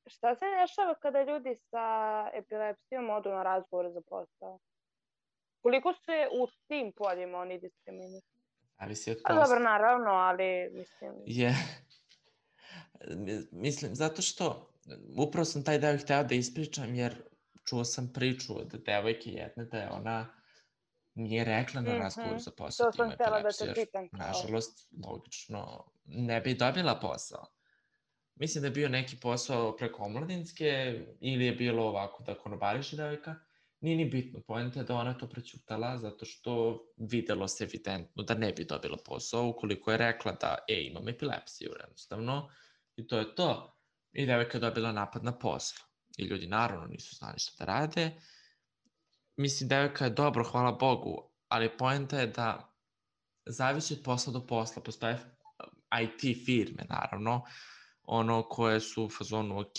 šta se dešava kada ljudi sa epilepsijom odu na razgovor za posao? Koliko se u tim poljima oni diskriminišu? zavisi od A posla. dobro, naravno, ali mislim... Je, mislim, zato što upravo sam taj deo hteo da ispričam, jer čuo sam priču od devojke jedne da je ona nije rekla na razgovoru za posao To da sam ima htjela da epilepsiju, te jer, pitam. kao. nažalost, logično, ne bi dobila posao. Mislim da je bio neki posao preko omladinske ili je bilo ovako da konobariše devojka. Nije ni bitno, poenta je da ona to prećutala zato što videlo se evidentno da ne bi dobila posao ukoliko je rekla da, e, imam epilepsiju, jednostavno, i to je to. I devojka je dobila napad na poslu. I ljudi naravno nisu znali šta da rade. Mislim, devojka je dobro, hvala Bogu, ali poenta je da zavisi od posla do posla. Postoje I T firme, naravno, ono koje su u fazonu, ok,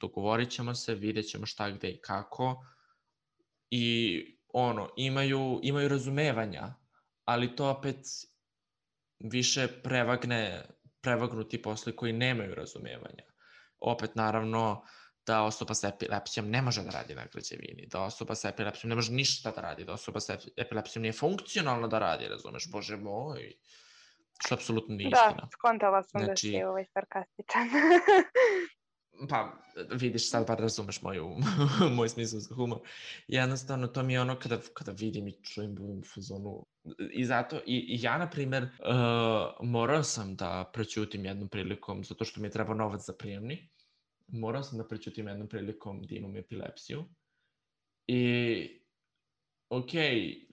dogovorit ćemo se, vidjet ćemo šta, gde i kako, i ono, imaju, imaju razumevanja, ali to opet više prevagne, prevagnu ti posli koji nemaju razumevanja. Opet, naravno, da osoba sa epilepsijom ne može da radi na građevini, da osoba sa epilepsijom ne može ništa da radi, da osoba sa epilepsijom nije funkcionalna da radi, razumeš, bože moj, što apsolutno nije istina. Da, skontala sam Znači- da si ovaj sarkastičan. Pa, vidiš, sad bar razumeš moju, moj smisao za humor. Jednostavno, to mi je ono kada, kada vidim i čujem u fazonu. I zato, i, i ja, na primer, uh, morao sam da prećutim jednom prilikom, zato što mi je trebao novac za prijemni, morao sam da prećutim jednom prilikom da imam epilepsiju. I, okej, okay,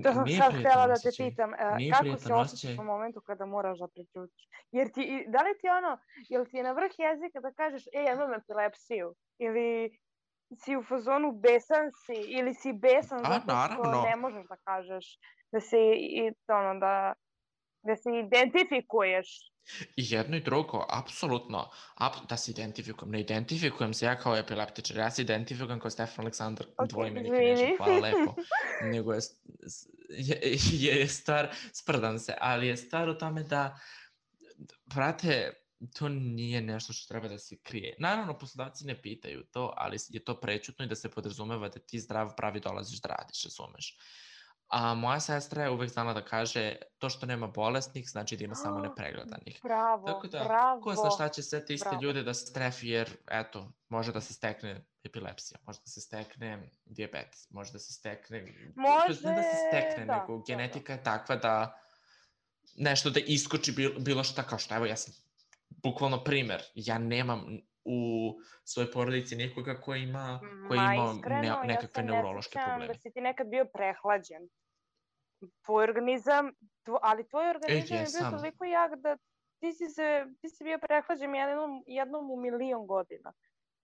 To sam nije sad htjela da te osjećaj. pitam, Nije kako se osjećaš osjećaj. u momentu kada moraš da prećutiš? Jer ti, da li ti ono, jel ti je na vrh jezika da kažeš, ej, ja imam epilepsiju? Ili si u fazonu besan si, ili si besan A, zato što naravno. ne možeš da kažeš, da se, i, ono, da, da se identifikuješ? I jedno i drugo, apsolutno, ap, da se identifikujem. Ne identifikujem se ja kao epileptičar, ja se identifikujem kao Stefan Aleksandar, okay, dvoimenik i Neža, hvala lepo. Nego je, je, je stvar, sprdam se, ali je stvar u tome da, brate, to nije nešto što treba da se krije. Naravno, poslodavci ne pitaju to, ali je to prećutno i da se podrazumeva da ti zdrav pravi dolaziš da radiš, razumeš. A moja sestra je uvek znala da kaže to što nema bolesnih znači da ima samo nepregledanih. Bravo, Tako da, bravo. ko zna šta će sve te iste bravo. ljude da se strefi jer, eto, može da se stekne epilepsija, može da se stekne dijabetes, može da se stekne... Može, ne da se stekne, da, nego da, genetika da. je takva da nešto da iskoči bilo, bilo šta, kao što, evo, ja sam bukvalno primer, ja nemam u svojoj porodici nekoga koji ima, koji Ma, ima iskreno, ne, nekakve ja neurološke probleme. Da si ti nekad bio prehlađen. Tvoj organizam, tvo, ali tvoj organizam e, je bio toliko jak da ti si, se, ti si bio prehlađen jednom, jednom u milion godina.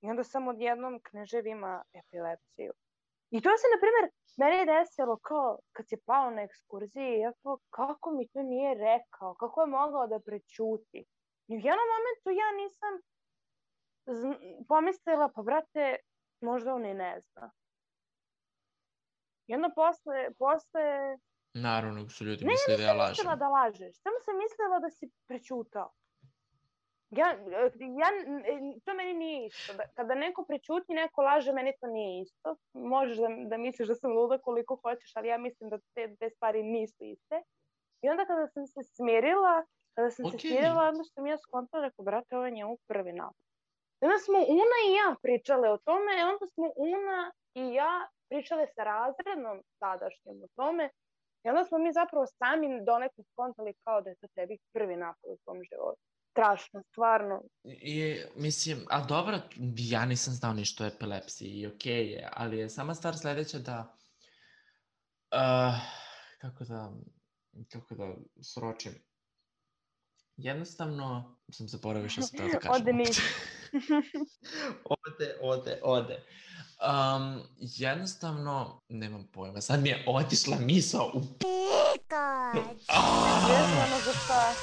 I onda sam odjednom Knežev ima epilepsiju. I to se, na primjer, meni je desilo kao kad si pao na ekskurziji, ja kao, kako mi to nije rekao, kako je mogao da prećuti. I u jednom momentu ja nisam pomislila, pa brate, možda on i ne zna. I onda posle, posle... Naravno, su ljudi ne, misle da ja lažem. Ne, nisam mislila da lažeš, samo sam mislila da si prećutao. Ja, ja, to meni nije isto. Kada neko prećuti, neko laže, meni to nije isto. Možeš da, da misliš da sam luda koliko hoćeš, ali ja mislim da te, te stvari nisu iste. I onda kada sam se smirila, kada sam okay. se smirila, onda sam ja skontala, rekao, brate, ovo je njemu prvi napad. Onda smo Una i ja pričale o tome, i onda smo Una i ja pričale sa razrednom tadašnjom o tome, i onda smo mi zapravo sami donekle skontali kao da je to tebi prvi napad u tom životu. Strašno, stvarno. I, mislim, a dobro, ja nisam znao ništa o epilepsiji i okej okay je, ali je sama stvar sledeća da, uh, kako da, kako da sročim. Jednostavno, sam zaboravio što sam teo da kažem. Ode nisi. ode, ode, ode. Um, jednostavno, nemam pojma, sad mi je otišla misao u Pikač! Vezano za šta?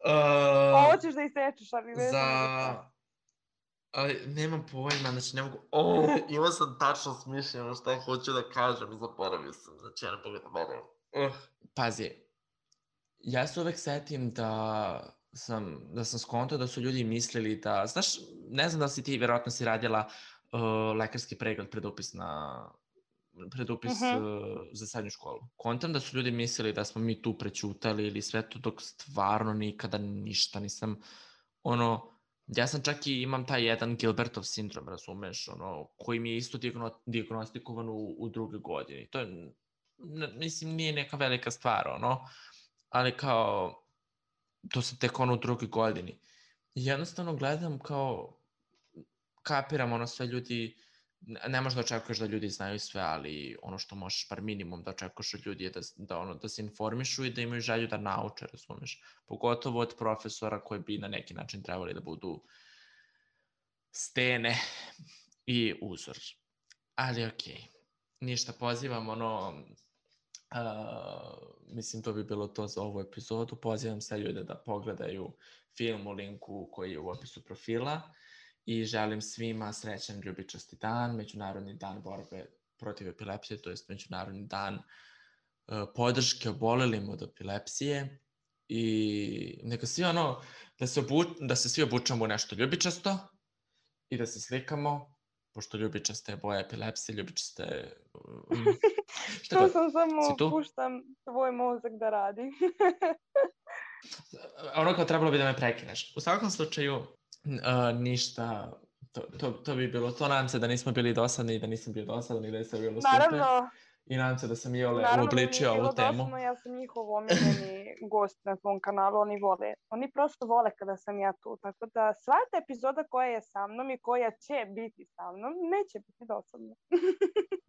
Uh, Hoćeš da isečeš, ali vezano za šta? Ali nemam pojma, znači ne mogu... Oh, imao sam tačno smišljeno šta hoću da kažem i zaboravio sam, znači ja ne pogledam mene. Uh. Pazi, ja se uvek setim da sam, da sam skontao da su ljudi mislili da... Znaš, ne znam da li si ti, verovatno si radila uh, lekarski pregled pred upis na... pred upis uh-huh. uh, za srednju školu. Kontam da su ljudi mislili da smo mi tu prećutali ili sve to, dok stvarno nikada ništa nisam, ono, ja sam čak i imam taj jedan Gilbertov sindrom, razumeš, ono, koji mi je isto diagnostikovan u, u drugoj godini. To je, ne, mislim, nije neka velika stvar, ono, ali kao, to sam tek ono u drugoj godini. I jednostavno gledam kao, kapiram, ono, sve ljudi, ne možeš da očekuješ da ljudi znaju sve, ali ono što možeš par minimum da očekuješ od ljudi je da, da, ono, da se informišu i da imaju želju da nauče, razumeš. Pogotovo od profesora koji bi na neki način trebali da budu stene i uzor. Ali okej, okay. Ništa, pozivam ono, uh, mislim to bi bilo to za ovu epizodu, pozivam sve ljude da pogledaju film u linku koji je u opisu profila. I želim svima srećan ljubičasti dan, Međunarodni dan borbe protiv epilepsije, to je Međunarodni dan uh, podrške obolelima od epilepsije. I neka svi ono, da se, obu, da se svi obučamo u nešto ljubičasto i da se slikamo, pošto ljubičasta je boja epilepsije, ljubičasta je... Um, šta to sam samo puštam tvoj mozak da radi. Ono kao trebalo bi da me prekineš. U svakom slučaju, Uh, ništa, to, to, to bi bilo to. Nadam se da nismo bili dosadni i da nisam bio dosadan i da je sve bilo super. Naravno, I nadam se da sam Iole naravno da mi nije uobličio bilo ovu temu. dosadno, ja sam njihov omiljeni gost na svom kanalu, oni vole, oni prosto vole kada sam ja tu, tako da svaka epizoda koja je sa mnom i koja će biti sa mnom, neće biti dosadna.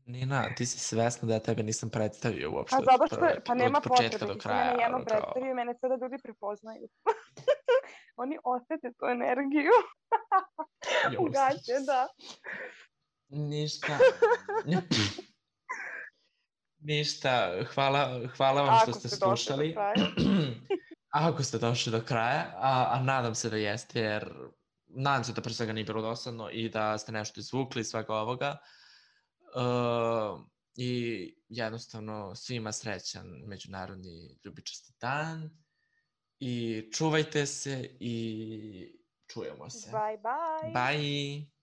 Nina, ti si svesna da ja tebe nisam predstavio uopšte A zato od, što, prve, pa od nema početka potrebe, do ti si kraja. mene jednom Ono kao... predstavio i mene sada ljudi prepoznaju. Oni osjete tu energiju. Ugaće, da. Ništa. Ništa. Hvala, hvala vam što Ako ste ste došli slušali. do kraja. Ako ste došli do kraja, a, a nadam se da jeste, jer nadam se da pre svega nije bilo dosadno i da ste nešto izvukli iz svega ovoga. Uh, I jednostavno svima srećan Međunarodni ljubičasti dan i čuvajte se i čujemo se. Bye bye. Bye.